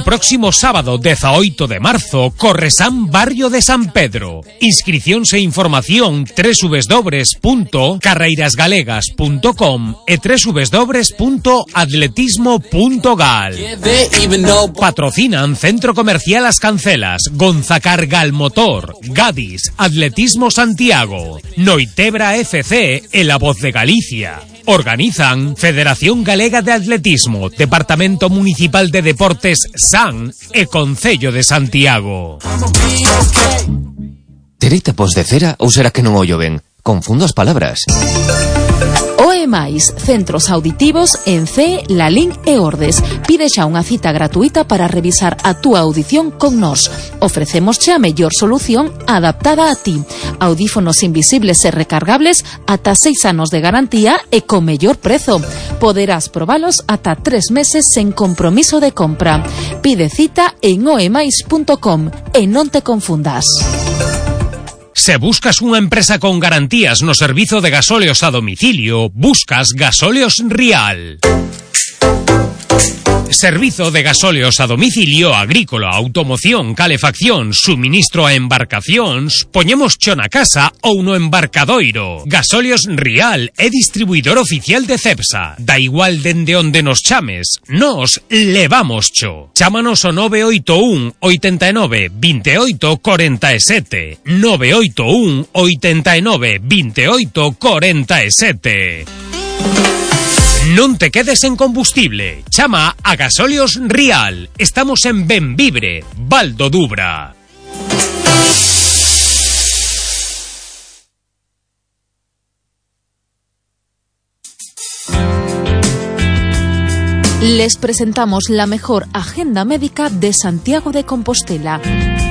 próximo sábado dezaoito de marzo, Corresan Barrio de San Pedro. Inscricións e información w w w punto carreiras galegas punto com e w w w punto atletismo punto gal. Patrocinan Centro Comercial As Cancelas, Gonzacar Galmotor, Gadis, Atletismo Santiago, Noitebra F C e La Voz de Galicia. Organizan Federación Galega de Atletismo, Departamento Municipal de Deportes S A N e Concello de Santiago. Terei tapos de cera ou será que non ollo ben? Confundo as palabras. O E máis, centros auditivos en C, Lalín e Ordes. Pide xa unha cita gratuita para revisar a túa audición con nós. Ofrecemos xa a mellor solución adaptada a ti. Audífonos invisibles e recargables ata seis anos de garantía e con mellor prezo. Poderás probalos ata tres meses sen compromiso de compra. Pide cita en o e máis punto com e non te confundas. Se buscas unha empresa con garantías no servizo de gasóleos a domicilio, buscas Gasóleos Rial. Servizo de gasóleos a domicilio agrícola, automoción, calefacción, suministro a embarcacións, poñemos cho na casa ou no embarcadoiro. Gasóleos Rial é distribuidor oficial de Cepsa. Da igual dende onde nos chames, nos levamos cho. Chámanos o nove oito un, oitenta e nove, veintioito, cuarenta e sete. nove oito un, oitenta e nove, veintioito, cuarenta e sete. Non te quedes en combustible. Chama a Gasóleos Rial. Estamos en Benvibre, Val do Dubra. Les presentamos la mejor agenda médica de Santiago de Compostela.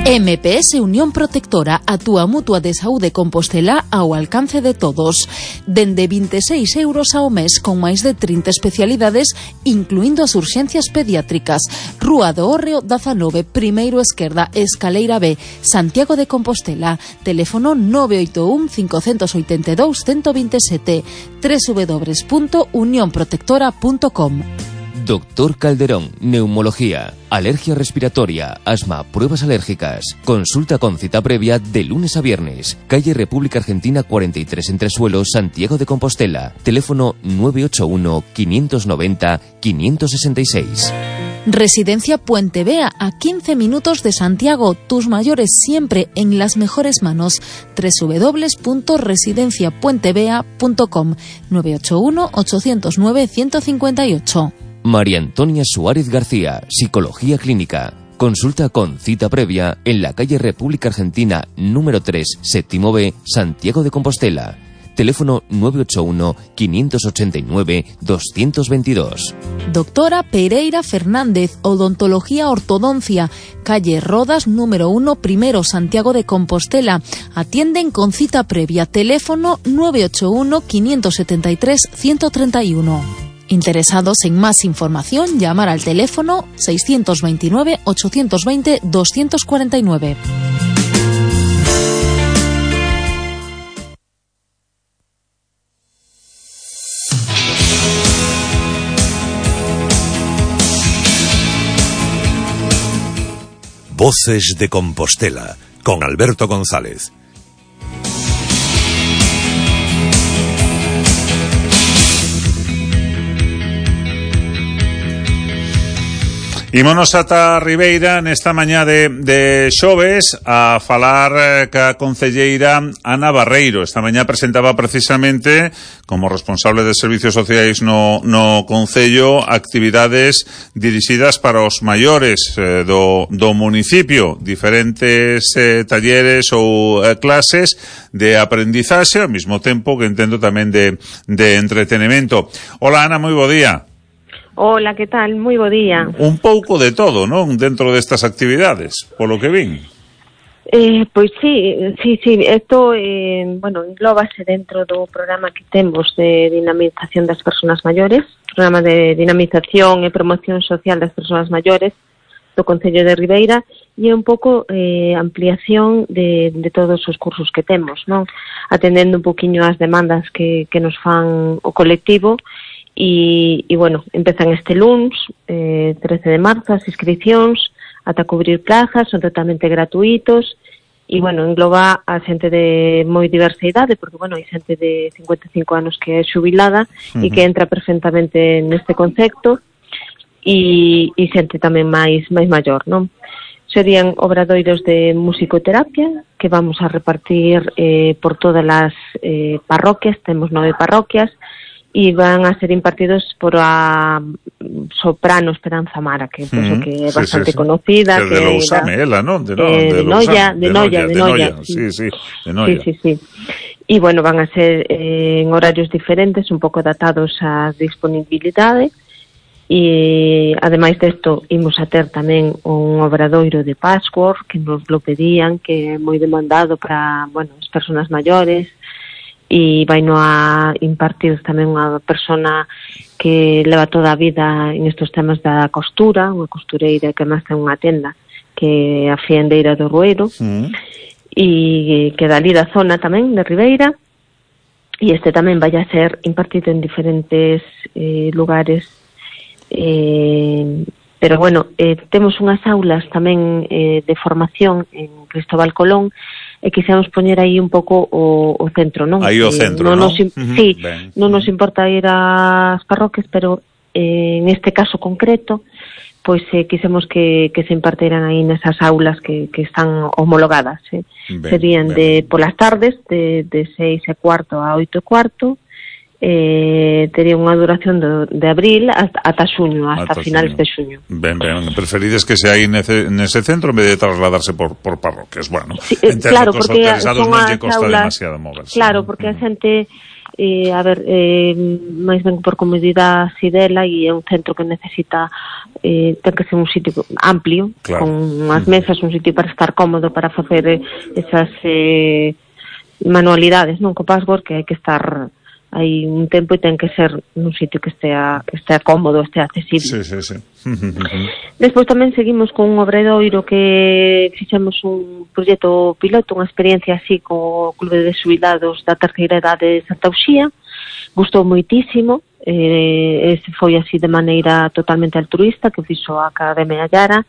M P S Unión Protectora, a túa mutua de saúde Compostela ao alcance de todos. Dende veintiséis euros ao mes con máis de trinta especialidades, incluindo as urxencias pediátricas. Rúa do Hórreo dezanove, primeiro esquerda, Escaleira B, Santiago de Compostela. Teléfono nove oito un, cinco oito dos, uno cero dos sete, w w w punto unión protectora punto com. Doctor Calderón, neumología, alergia respiratoria, asma, pruebas alérgicas. Consulta con cita previa de lunes a viernes. Calle República Argentina cuarenta y tres Entresuelos, Santiago de Compostela. Teléfono nueve ocho uno, quinientos noventa, quinientos sesenta y seis. Residencia Puente Vea, a quince minutos de Santiago. Tus mayores siempre en las mejores manos. w w w punto residencia puente vea punto com, nueve ocho uno, ocho cero nueve, uno cinco ocho. María Antonia Suárez García, Psicología Clínica. Consulta con cita previa en la calle República Argentina número tres, séptimo B, Santiago de Compostela. Teléfono nueve ocho uno, quinientos ochenta y nueve, doscientos veintidós. Doctora Pereira Fernández, Odontología Ortodoncia, calle Rodas número uno, primero, Santiago de Compostela. Atienden con cita previa. Teléfono nueve ocho uno, quinientos setenta y tres, ciento treinta y uno. Interesados en más información, llamar al teléfono seiscientos veintinueve, ochocientos veinte, doscientos cuarenta y nueve. Voces de Compostela, con Alberto González. Ímonos ata Ribeira nesta mañá de, de xoves a falar eh, ca concelleira Ana Barreiro. Esta mañá presentaba precisamente, como responsable de servicios sociais no, no concello, actividades dirixidas para os maiores eh, do, do municipio, diferentes eh, talleres ou eh, clases de aprendizaxe, ao mesmo tempo que entendo tamén de, de entretenimento. Hola Ana, moi bo día. Hola, que tal? Moi bo día. Un pouco de todo, non? Dentro destas actividades, polo que vin. Eh, pois sí, sí, sí, isto, eh, bueno, englóbase dentro do programa que temos de dinamización das persoas maiores, programa de dinamización e promoción social das persoas maiores do Concello de Ribeira, e é un pouco eh, ampliación de, de todos os cursos que temos, non? Atendendo un poquinho as demandas que, que nos fan o colectivo e, e bueno, empezan este luns, eh, trece de marzo, as inscripcións ata cubrir plazas, son totalmente gratuitos e, bueno, engloba a xente de moi diversa idade, porque, bueno, hai xente de cincuenta e cinco anos que é xubilada uh-huh. e que entra perfectamente neste concepto e, e xente tamén máis máis maior, non? Serían obradoiros de musicoterapia que vamos a repartir eh, por todas as eh, parroquias, temos nove parroquias, e van a ser impartidos por a soprano Esperanza Mara, que mm, penso que é sí, bastante sí, sí. conocida. Que, que de Lousame, ela, non? De, no, eh, de, de Noia, de Noia, de Noia. Sí, sí, de Noia. Sí, sí, sí. E, bueno, van a ser eh, en horarios diferentes, un pouco adaptados á disponibilidade. E, ademais desto, imos a ter tamén un obradoiro de password que nos lo pedían, que é moi demandado para, bueno, as persoas maiores, e vai no a impartir tamén unha persona que leva toda a vida en estos temas da costura, unha costureira que máis ten unha tenda, que é a Fiendeira do Rueiro, mm. e que da ali da zona tamén, de Ribeira, e este tamén vai a ser impartido en diferentes eh, lugares. Eh, pero bueno, eh, temos unhas aulas tamén eh, de formación en Cristóbal Colón e quixemos poñer aí un pouco o, o centro, non? Aí o centro, eh, non? non? Nos, uh-huh. Sí, ben. Non nos importa ir ás parroquias, pero eh, en este caso concreto, pois eh, quixemos que, que se impartiran aí nesas aulas que, que están homologadas. Eh. Ben, Serían ben. de polas tardes, de, de seis e cuarto a oito e cuarto, eh, tería unha duración do, de abril hasta, ata xuño, hasta, hasta finales xuño. de xuño. Ben, ben, preferides que se aí nese, nese centro en vez de trasladarse por, por parroquias, bueno, sí, eh, claro, porque son non lle costa aulas, demasiado moverse. Claro, porque a xente, eh, a ver, eh, máis ben por comodidade si dela, e é un centro que necesita, eh, ten que ser un sitio amplio, claro. con unhas mesas, un sitio para estar cómodo, para facer esas eh, manualidades, non, co password, que hai que estar hai un tempo e ten que ser nun sitio que estea, que estea cómodo, estea accesible. Sí, sí, sí. Despois tamén seguimos con un obradoiro que fixemos un proxecto piloto, unha experiencia así co Clube de Xubilados da Terceira Edade de Santa Uxía. Gustou moitísimo, eh, ese foi así de maneira totalmente altruista, que fixo a Academia Llara,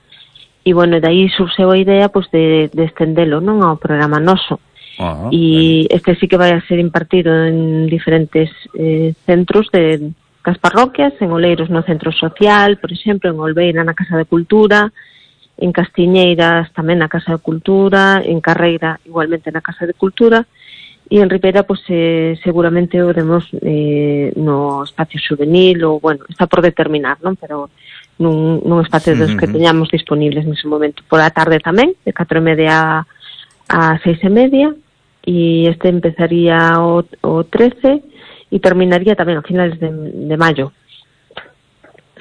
e, bueno, de aí surxeu a idea pois, de, de estendelo, non, ao programa noso. Uh-huh, e este sí que vai a ser impartido en diferentes eh, centros de das parroquias, en Oleiros no Centro Social, por exemplo, en Olveira na Casa de Cultura, en Castiñeiras tamén na Casa de Cultura, en Carreira igualmente na Casa de Cultura, e en Ribeira pues, eh, seguramente o demos eh, no espacio juvenil, ou bueno, está por determinar, non? Pero nun, nun espacio dos que teñamos disponibles nese momento. Por a tarde tamén, de catro e media a seis e media, e este empezaría o, o trece e terminaría tamén a finales de, de maio.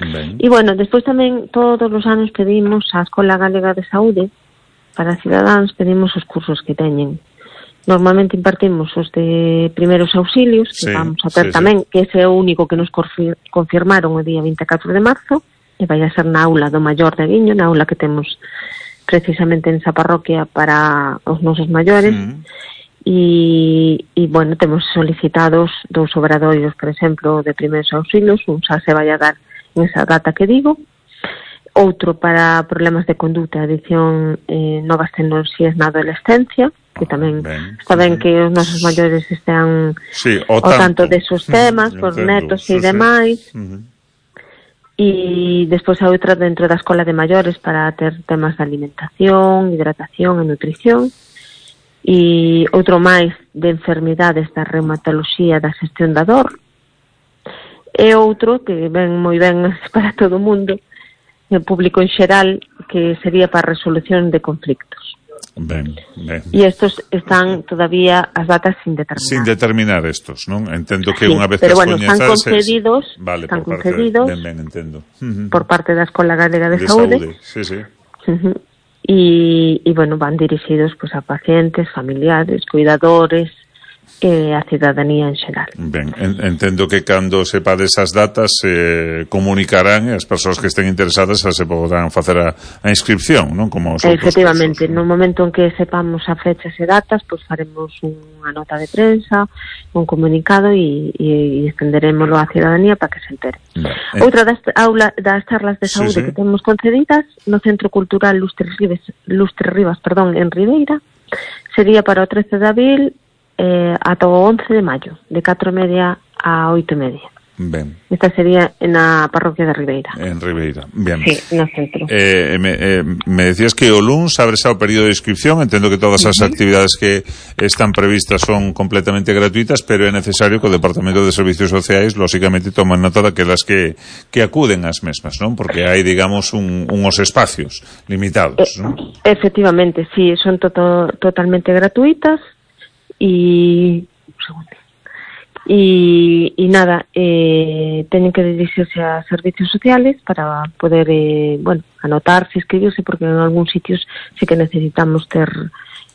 Ben. E, bueno, despois tamén todos os anos pedimos á Escola Galega de Saúde para cidadáns, pedimos os cursos que teñen. Normalmente impartimos os de primeiros auxilios, que sí, vamos a ter sí, tamén, sí. que ese é o único que nos confirmaron o día vinte e catro de marzo, e vai a ser na aula do Maior de Guiño, na aula que temos precisamente en esa parroquia para os nosos maiores. Mm. E, e, bueno, temos solicitados dous obradoiros, por exemplo, de primeiros auxilios, un xa se vai a dar en esa data que digo, outro para problemas de conduta, adición eh, novas tecnoloxías na adolescencia, que tamén ben, está ben que os nosos maiores estean sí, o, tanto. o tanto desos temas, mm, por netos e sí, demais. Mm-hmm. E despois a outra dentro da escola de maiores para ter temas de alimentación, hidratación e nutrición. E outro máis de enfermidades da reumatoloxía, da xestión da dor, e outro que ven moi ben para todo o mundo, o público en xeral, que sería para a resolución de conflictos. Ben, ben. E estos están todavía as datas sin determinar. Sin determinar estos, non? Entendo que sí, unha vez pero que bueno, están concedidos, vale, están por concedidos parte, ben, ben, entendo. por parte da Escola Galega de, de Saúde. Saúde. Sí, sí. Uh-huh. E, e, bueno, van dirixidos pues, a pacientes, familiares, cuidadores, e a cidadanía en xeral. Ben, entendo que cando sepades as datas eh, comunicarán e as persoas que estén interesadas xa se poderán facer a, a inscripción, non? Como os Efectivamente, casos, no momento en que sepamos a fechas e datas, pois faremos unha nota de prensa, un comunicado e, e, e estenderémoslo á cidadanía para que se entere. Eh. Outra das, aula, das charlas de saúde sí, sí. que temos concedidas no Centro Cultural Lustre Rivas, Lustre Rivas perdón, en Ribeira sería para o trece de abril eh, ata o once de maio, de catro e media a oito e media. Ben. Esta sería na parroquia de Ribeira. En Ribeira, bien. Sí, no centro. Eh, me, eh, me decías que o luns abre xa o período de inscripción, entendo que todas as uh-huh. actividades que están previstas son completamente gratuitas, pero é necesario que o Departamento de Servicios Sociais, lógicamente, toman nota daquelas que, que acuden ás mesmas, non? Porque hai, digamos, un, unos espacios limitados, eh, non? Efectivamente, sí, son to totalmente gratuitas e... un segundo. Y, y nada, eh, tienen que dirigirse a servicios sociales para poder, eh, bueno, anotarse, inscribirse, porque en algún sitios sí que necesitamos ter,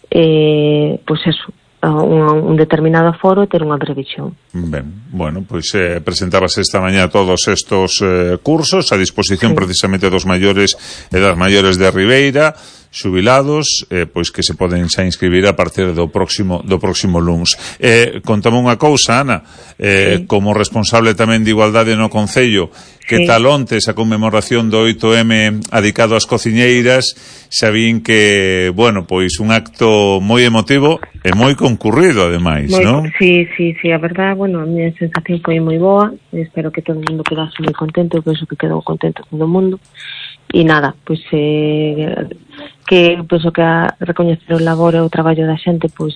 eh, pues eso, un, un determinado aforo e ter unha previsión. Ben, bueno, pois pues, eh, presentabas esta mañá todos estos eh, cursos a disposición sí. precisamente dos maiores e das maiores de Ribeira, xubilados, eh, pois que se poden xa inscribir a partir do próximo do próximo luns. Eh, contame unha cousa, Ana, eh, sí. como responsable tamén de igualdade no Concello, que sí. tal ontes a conmemoración do oito eme adicado ás cociñeiras, xa vin que, bueno, pois un acto moi emotivo e moi concurrido, ademais, moi, non? Sí, sí, sí, a verdad, bueno, a miña sensación foi moi boa, espero que todo o mundo quedase moi contento, eu penso que quedou contento todo o mundo. E nada, pois eh, que penso que a recoñecer o labor e o traballo da xente pois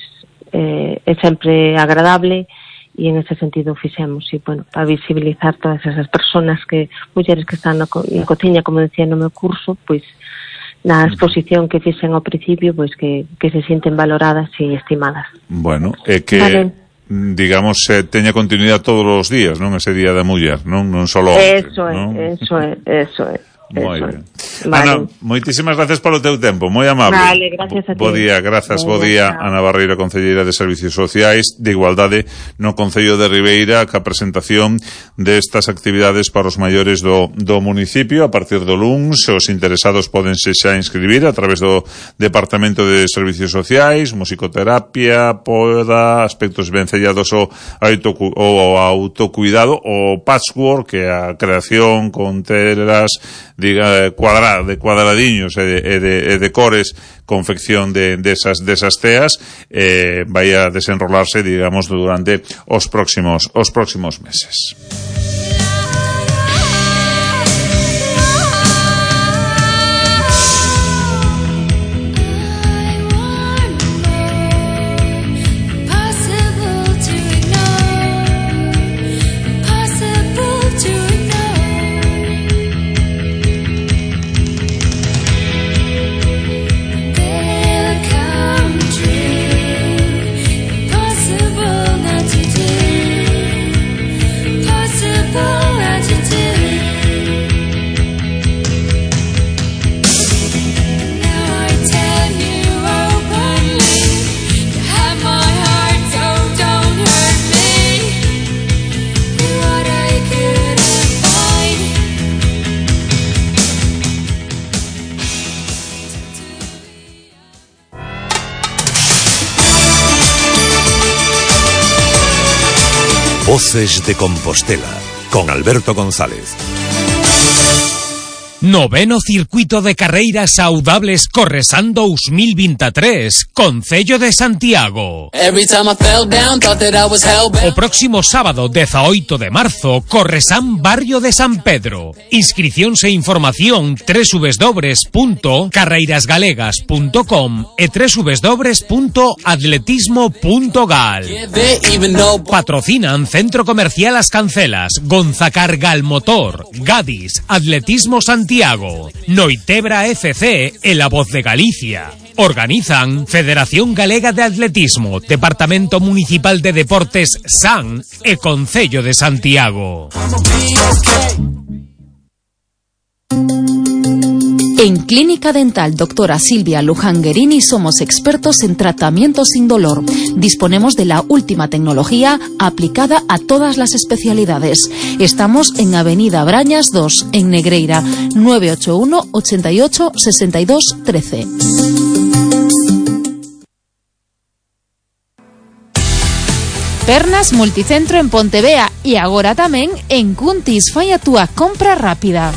eh, é sempre agradable e en ese sentido fixemos e bueno, para visibilizar todas esas personas que, mulleres que están na, co na cociña, como decía no meu curso, pois na exposición que fixen ao principio, pois que, que se sienten valoradas e estimadas. Bueno, é que vale. digamos, eh, teña continuidade todos os días, non? Ese día da muller, non? Non solo onte, eso é, non? eso é, eso é. Moi ben. Vale. Ana, moitísimas gracias polo teu tempo, moi amable. Vale, gracias a ti. Bo día, grazas, bo día, Ana Barreiro, concelleira de Servicios Sociais de Igualdade no Concello de Ribeira, ca presentación destas actividades para os maiores do, do municipio a partir do luns. Os interesados podense xa inscribir a través do Departamento de Servicios Sociais, musicoterapia, poda, aspectos vencellados ao, ao autocuidado, o patchwork, que é a creación con telas diga cuadrada, de cuadradiños e de, e de, e de cores, confección de desas de desas teas, eh, vai a desenrolarse, digamos, durante os próximos os próximos meses. Voces de Compostela, con Alberto González. Noveno Circuito de Carreiras Saudables Corresan dos mil veintitrés, Concello de Santiago. O próximo sábado, dezaoito de marzo, Corresan Barrio de San Pedro. Inscricións e información doble u doble u doble u punto carreiras galegas punto com e doble u doble u doble u punto atletismo punto gal. Patrocinan Centro Comercial As Cancelas, Gonzacar Galmotor, Gadis, Atletismo Santiago, Noitebra F C e La Voz de Galicia. Organizan Federación Galega de Atletismo, Departamento Municipal de Deportes S A N e Concello de Santiago. En Clínica Dental Doctora Silvia Luján Guerini somos expertos en tratamiento sin dolor. Disponemos de la última tecnología aplicada a todas las especialidades. Estamos en Avenida Brañas dos, en Negreira, nueve ocho uno, ochenta y ocho, sesenta y dos, trece. Pernas Multicentro en Pontevea e agora tamén en Cuntis. Fai a túa compra rápida.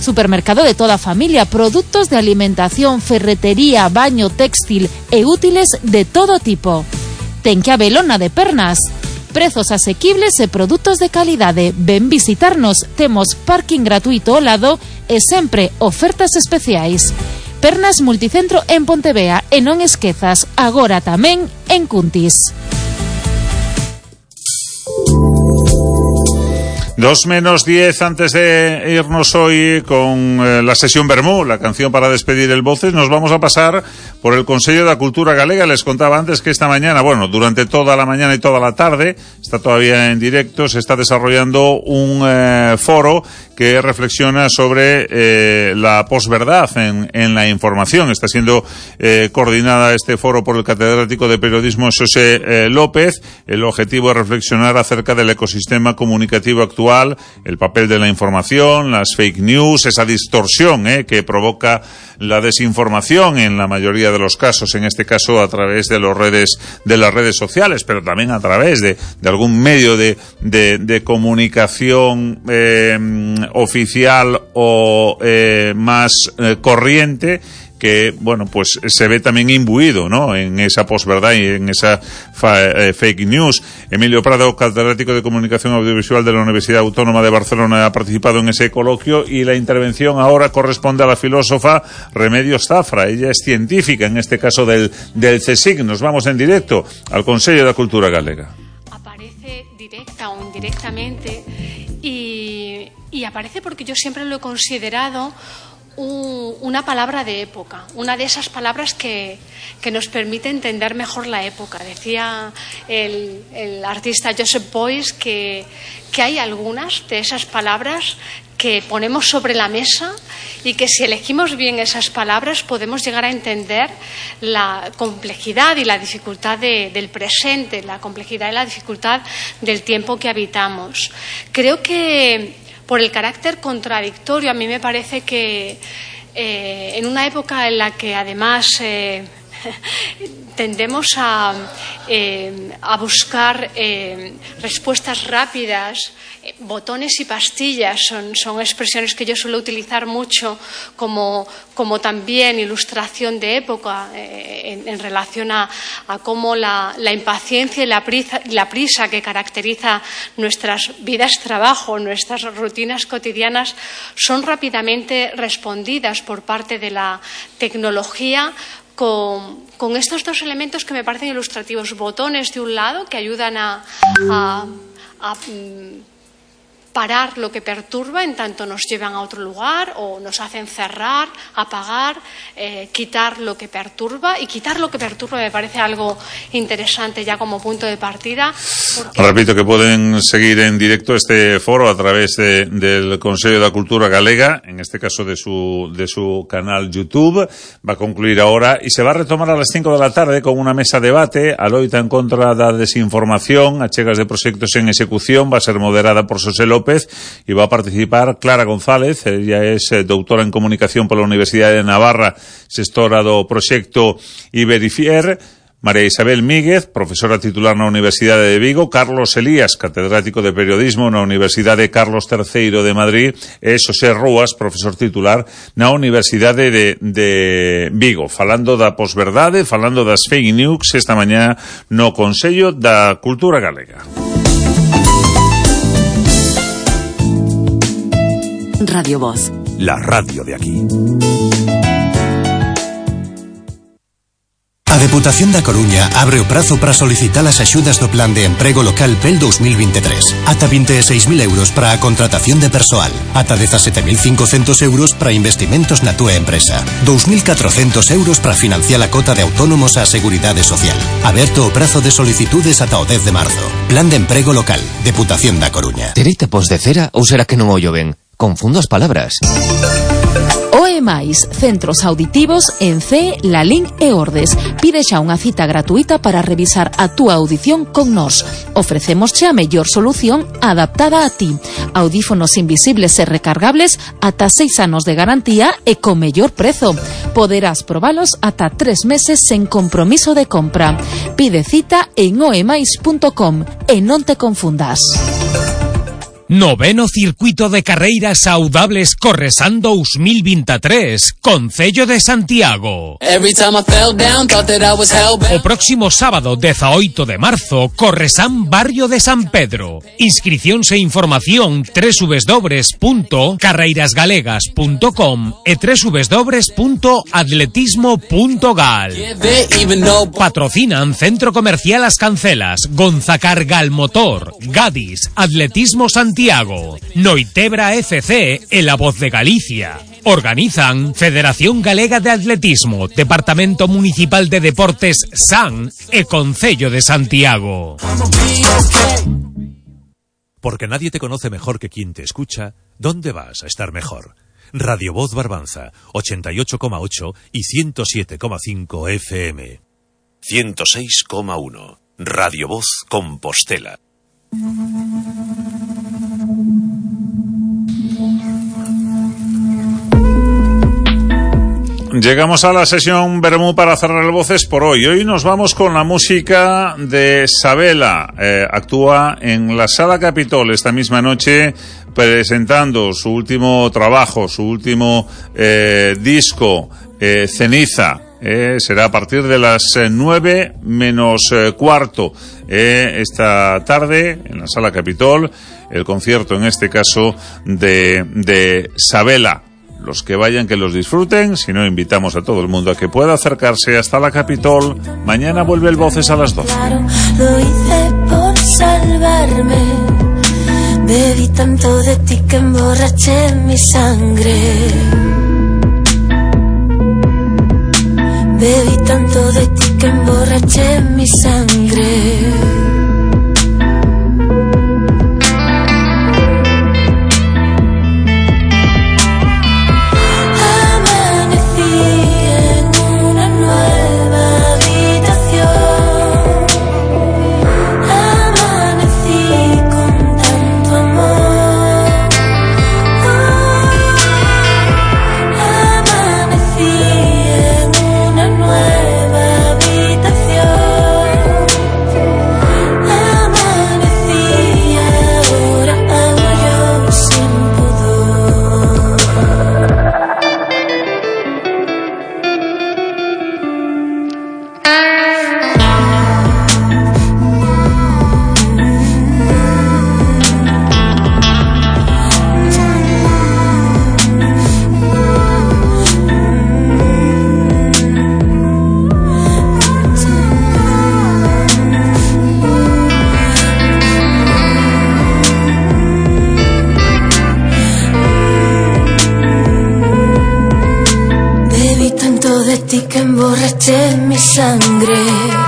Supermercado de toda a familia, produtos de alimentación, ferretería, baño, textil e útiles de todo tipo. Ten que habelo na de Pernas. Prezos asequibles e produtos de calidade. Ven visitarnos, temos parking gratuito ao lado e sempre ofertas especiais. Pernas Multicentro en Pontevea e non esquezas, agora tamén en Cuntis. Dos menos diez antes de irnos hoy con eh, la sesión Bermú, la canción para despedir el Voces, nos vamos a pasar por el Consello da Cultura Galega. Les contaba antes que esta mañana, bueno, durante toda la mañana y toda la tarde, está todavía en directo, se está desarrollando un eh, foro que reflexiona sobre eh, la posverdad en, en la información. Está siendo eh, coordinada este foro por el catedrático de periodismo José eh, López. El objetivo es reflexionar acerca del ecosistema comunicativo actual, el papel de la información, las fake news, esa distorsión eh, que provoca la desinformación en la mayoría de los casos, en este caso a través de los redes, de las redes sociales, pero también a través de, de algún medio de, de, de comunicación eh, oficial o eh, más eh, corriente, que, bueno, pues se ve también imbuido, ¿no?, en esa posverdad y en esa fa, eh, fake news. Emilio Prado, catedrático de Comunicación Audiovisual de la Universidad Autónoma de Barcelona, ha participado en ese coloquio, y la intervención ahora corresponde a la filósofa Remedios Zafra. Ella es científica, en este caso del, del CSIC. Nos vamos en directo al Consello da Cultura Galega. Aparece directa o indirectamente y, y aparece porque yo siempre lo he considerado una palabra de época, una de esas palabras que, que nos permite entender mejor la época. Decía el, el artista Joseph Beuys que, que hay algunas de esas palabras que ponemos sobre la mesa y que si elegimos bien esas palabras podemos llegar a entender la complejidad y la dificultad de, del presente, la complejidad y la dificultad del tiempo que habitamos. Creo que por el carácter contradictorio, a mí me parece que eh, en una época en la que además eh, tendemos a, eh, a buscar eh, respuestas rápidas, eh, botones y pastillas son, son expresiones que yo suelo utilizar mucho como, como también ilustración de época eh, en, en relación a, a cómo la, la impaciencia y la prisa, la prisa que caracteriza nuestras vidas de trabajo, nuestras rutinas cotidianas, son rápidamente respondidas por parte de la tecnología Con, con estos dos elementos que me parecen ilustrativos: botones de un lado que ayudan a, a, a parar lo que perturba en tanto nos llevan a otro lugar o nos hacen cerrar, apagar, eh, quitar lo que perturba. Y quitar lo que perturba me parece algo interesante ya como punto de partida. Porque... Repito que pueden seguir en directo este foro a través de, del Consello da Cultura Galega, en este caso de su, de su canal YouTube. Va a concluir ahora y se va a retomar a las cinco de la tarde con una mesa de debate, a loita en contra da desinformación, achegas de proxectos en execución. Va a ser moderada por José López y va a participar Clara González. Ella es eh, doutora en Comunicación pola Universidade de Navarra, xestora do proxecto Iberifier. María Isabel Míguez, profesora titular na Universidade de Vigo. Carlos Elías, catedrático de Periodismo na Universidade Carlos terceiro de Madrid. E Xosé Rúas, profesor titular na Universidade de, de Vigo. Falando da posverdade, falando das fake news esta mañá no Consello da Cultura Galega. Radio Voz. La radio de aquí. A Deputación da Coruña abre o prazo para solicitar as axudas do Plan de Emprego Local P E L dos mil veintitrés. Ata vinte e seis mil euros para a contratación de persoal. Ata dezasete mil cincocentos euros para investimentos na túa empresa. dous mil catrocentos euros para financiar a cota de autónomos á Seguridade Social. Aberto o prazo de solicitudes ata o dez de marzo. Plan de Emprego Local. Deputación da Coruña. Terei tapos de cera ou será que non ollo ben? Confundo as palabras. O E máis, centros auditivos en C, Lalín e Ordes. Pide xa unha cita gratuita para revisar a túa audición con nós. Ofrecémosche a mellor solución adaptada a ti. Audífonos invisibles e recargables ata seis anos de garantía e con mellor prezo. Poderás probalos ata tres meses sen compromiso de compra. Pide cita en oemais punto com e non te confundas. Noveno Circuito de Carreiras Saudables Corresan dos mil veintitrés, Concello de Santiago. O próximo sábado dezaoito de marzo, Corresan Barrio de San Pedro. Inscricións e información doble u doble u doble u punto carreiras galegas punto com e doble u doble u doble u punto atletismo punto gal. Patrocinan Centro Comercial As Cancelas, Gonzacar Galmotor, Gadis, Atletismo Santiago, Noitebra F C e La Voz de Galicia. Organizan Federación Galega de Atletismo, Departamento Municipal de Deportes S A N e Concello de Santiago. Porque nadie te conoce mejor que quien te escucha, ¿dónde vas a estar mejor? Radio Voz Barbanza, ochenta y ocho coma ocho y ciento siete coma cinco F M. ciento seis coma uno. Radio Voz Compostela. Llegamos a la sesión Bermú para cerrar el Voces por hoy. Hoy nos vamos con la música de Sabela. Eh, actúa en la Sala Capitol esta misma noche presentando su último trabajo, su último eh, disco, eh, Ceniza. Eh, será a partir de las eh, nueve menos eh, cuarto eh, esta tarde en la Sala Capitol, el concierto en este caso de, de Sabela. Los que vayan, que los disfruten. Si no, invitamos a todo el mundo a que pueda acercarse hasta la Capitol. Mañana vuelve el Voces a las doce. Claro, lo hice por salvarme. Bebí tanto de ti que emborraché mi sangre. Bebí tanto de ti que emborraché mi sangre. De ti que emborraché mi sangre.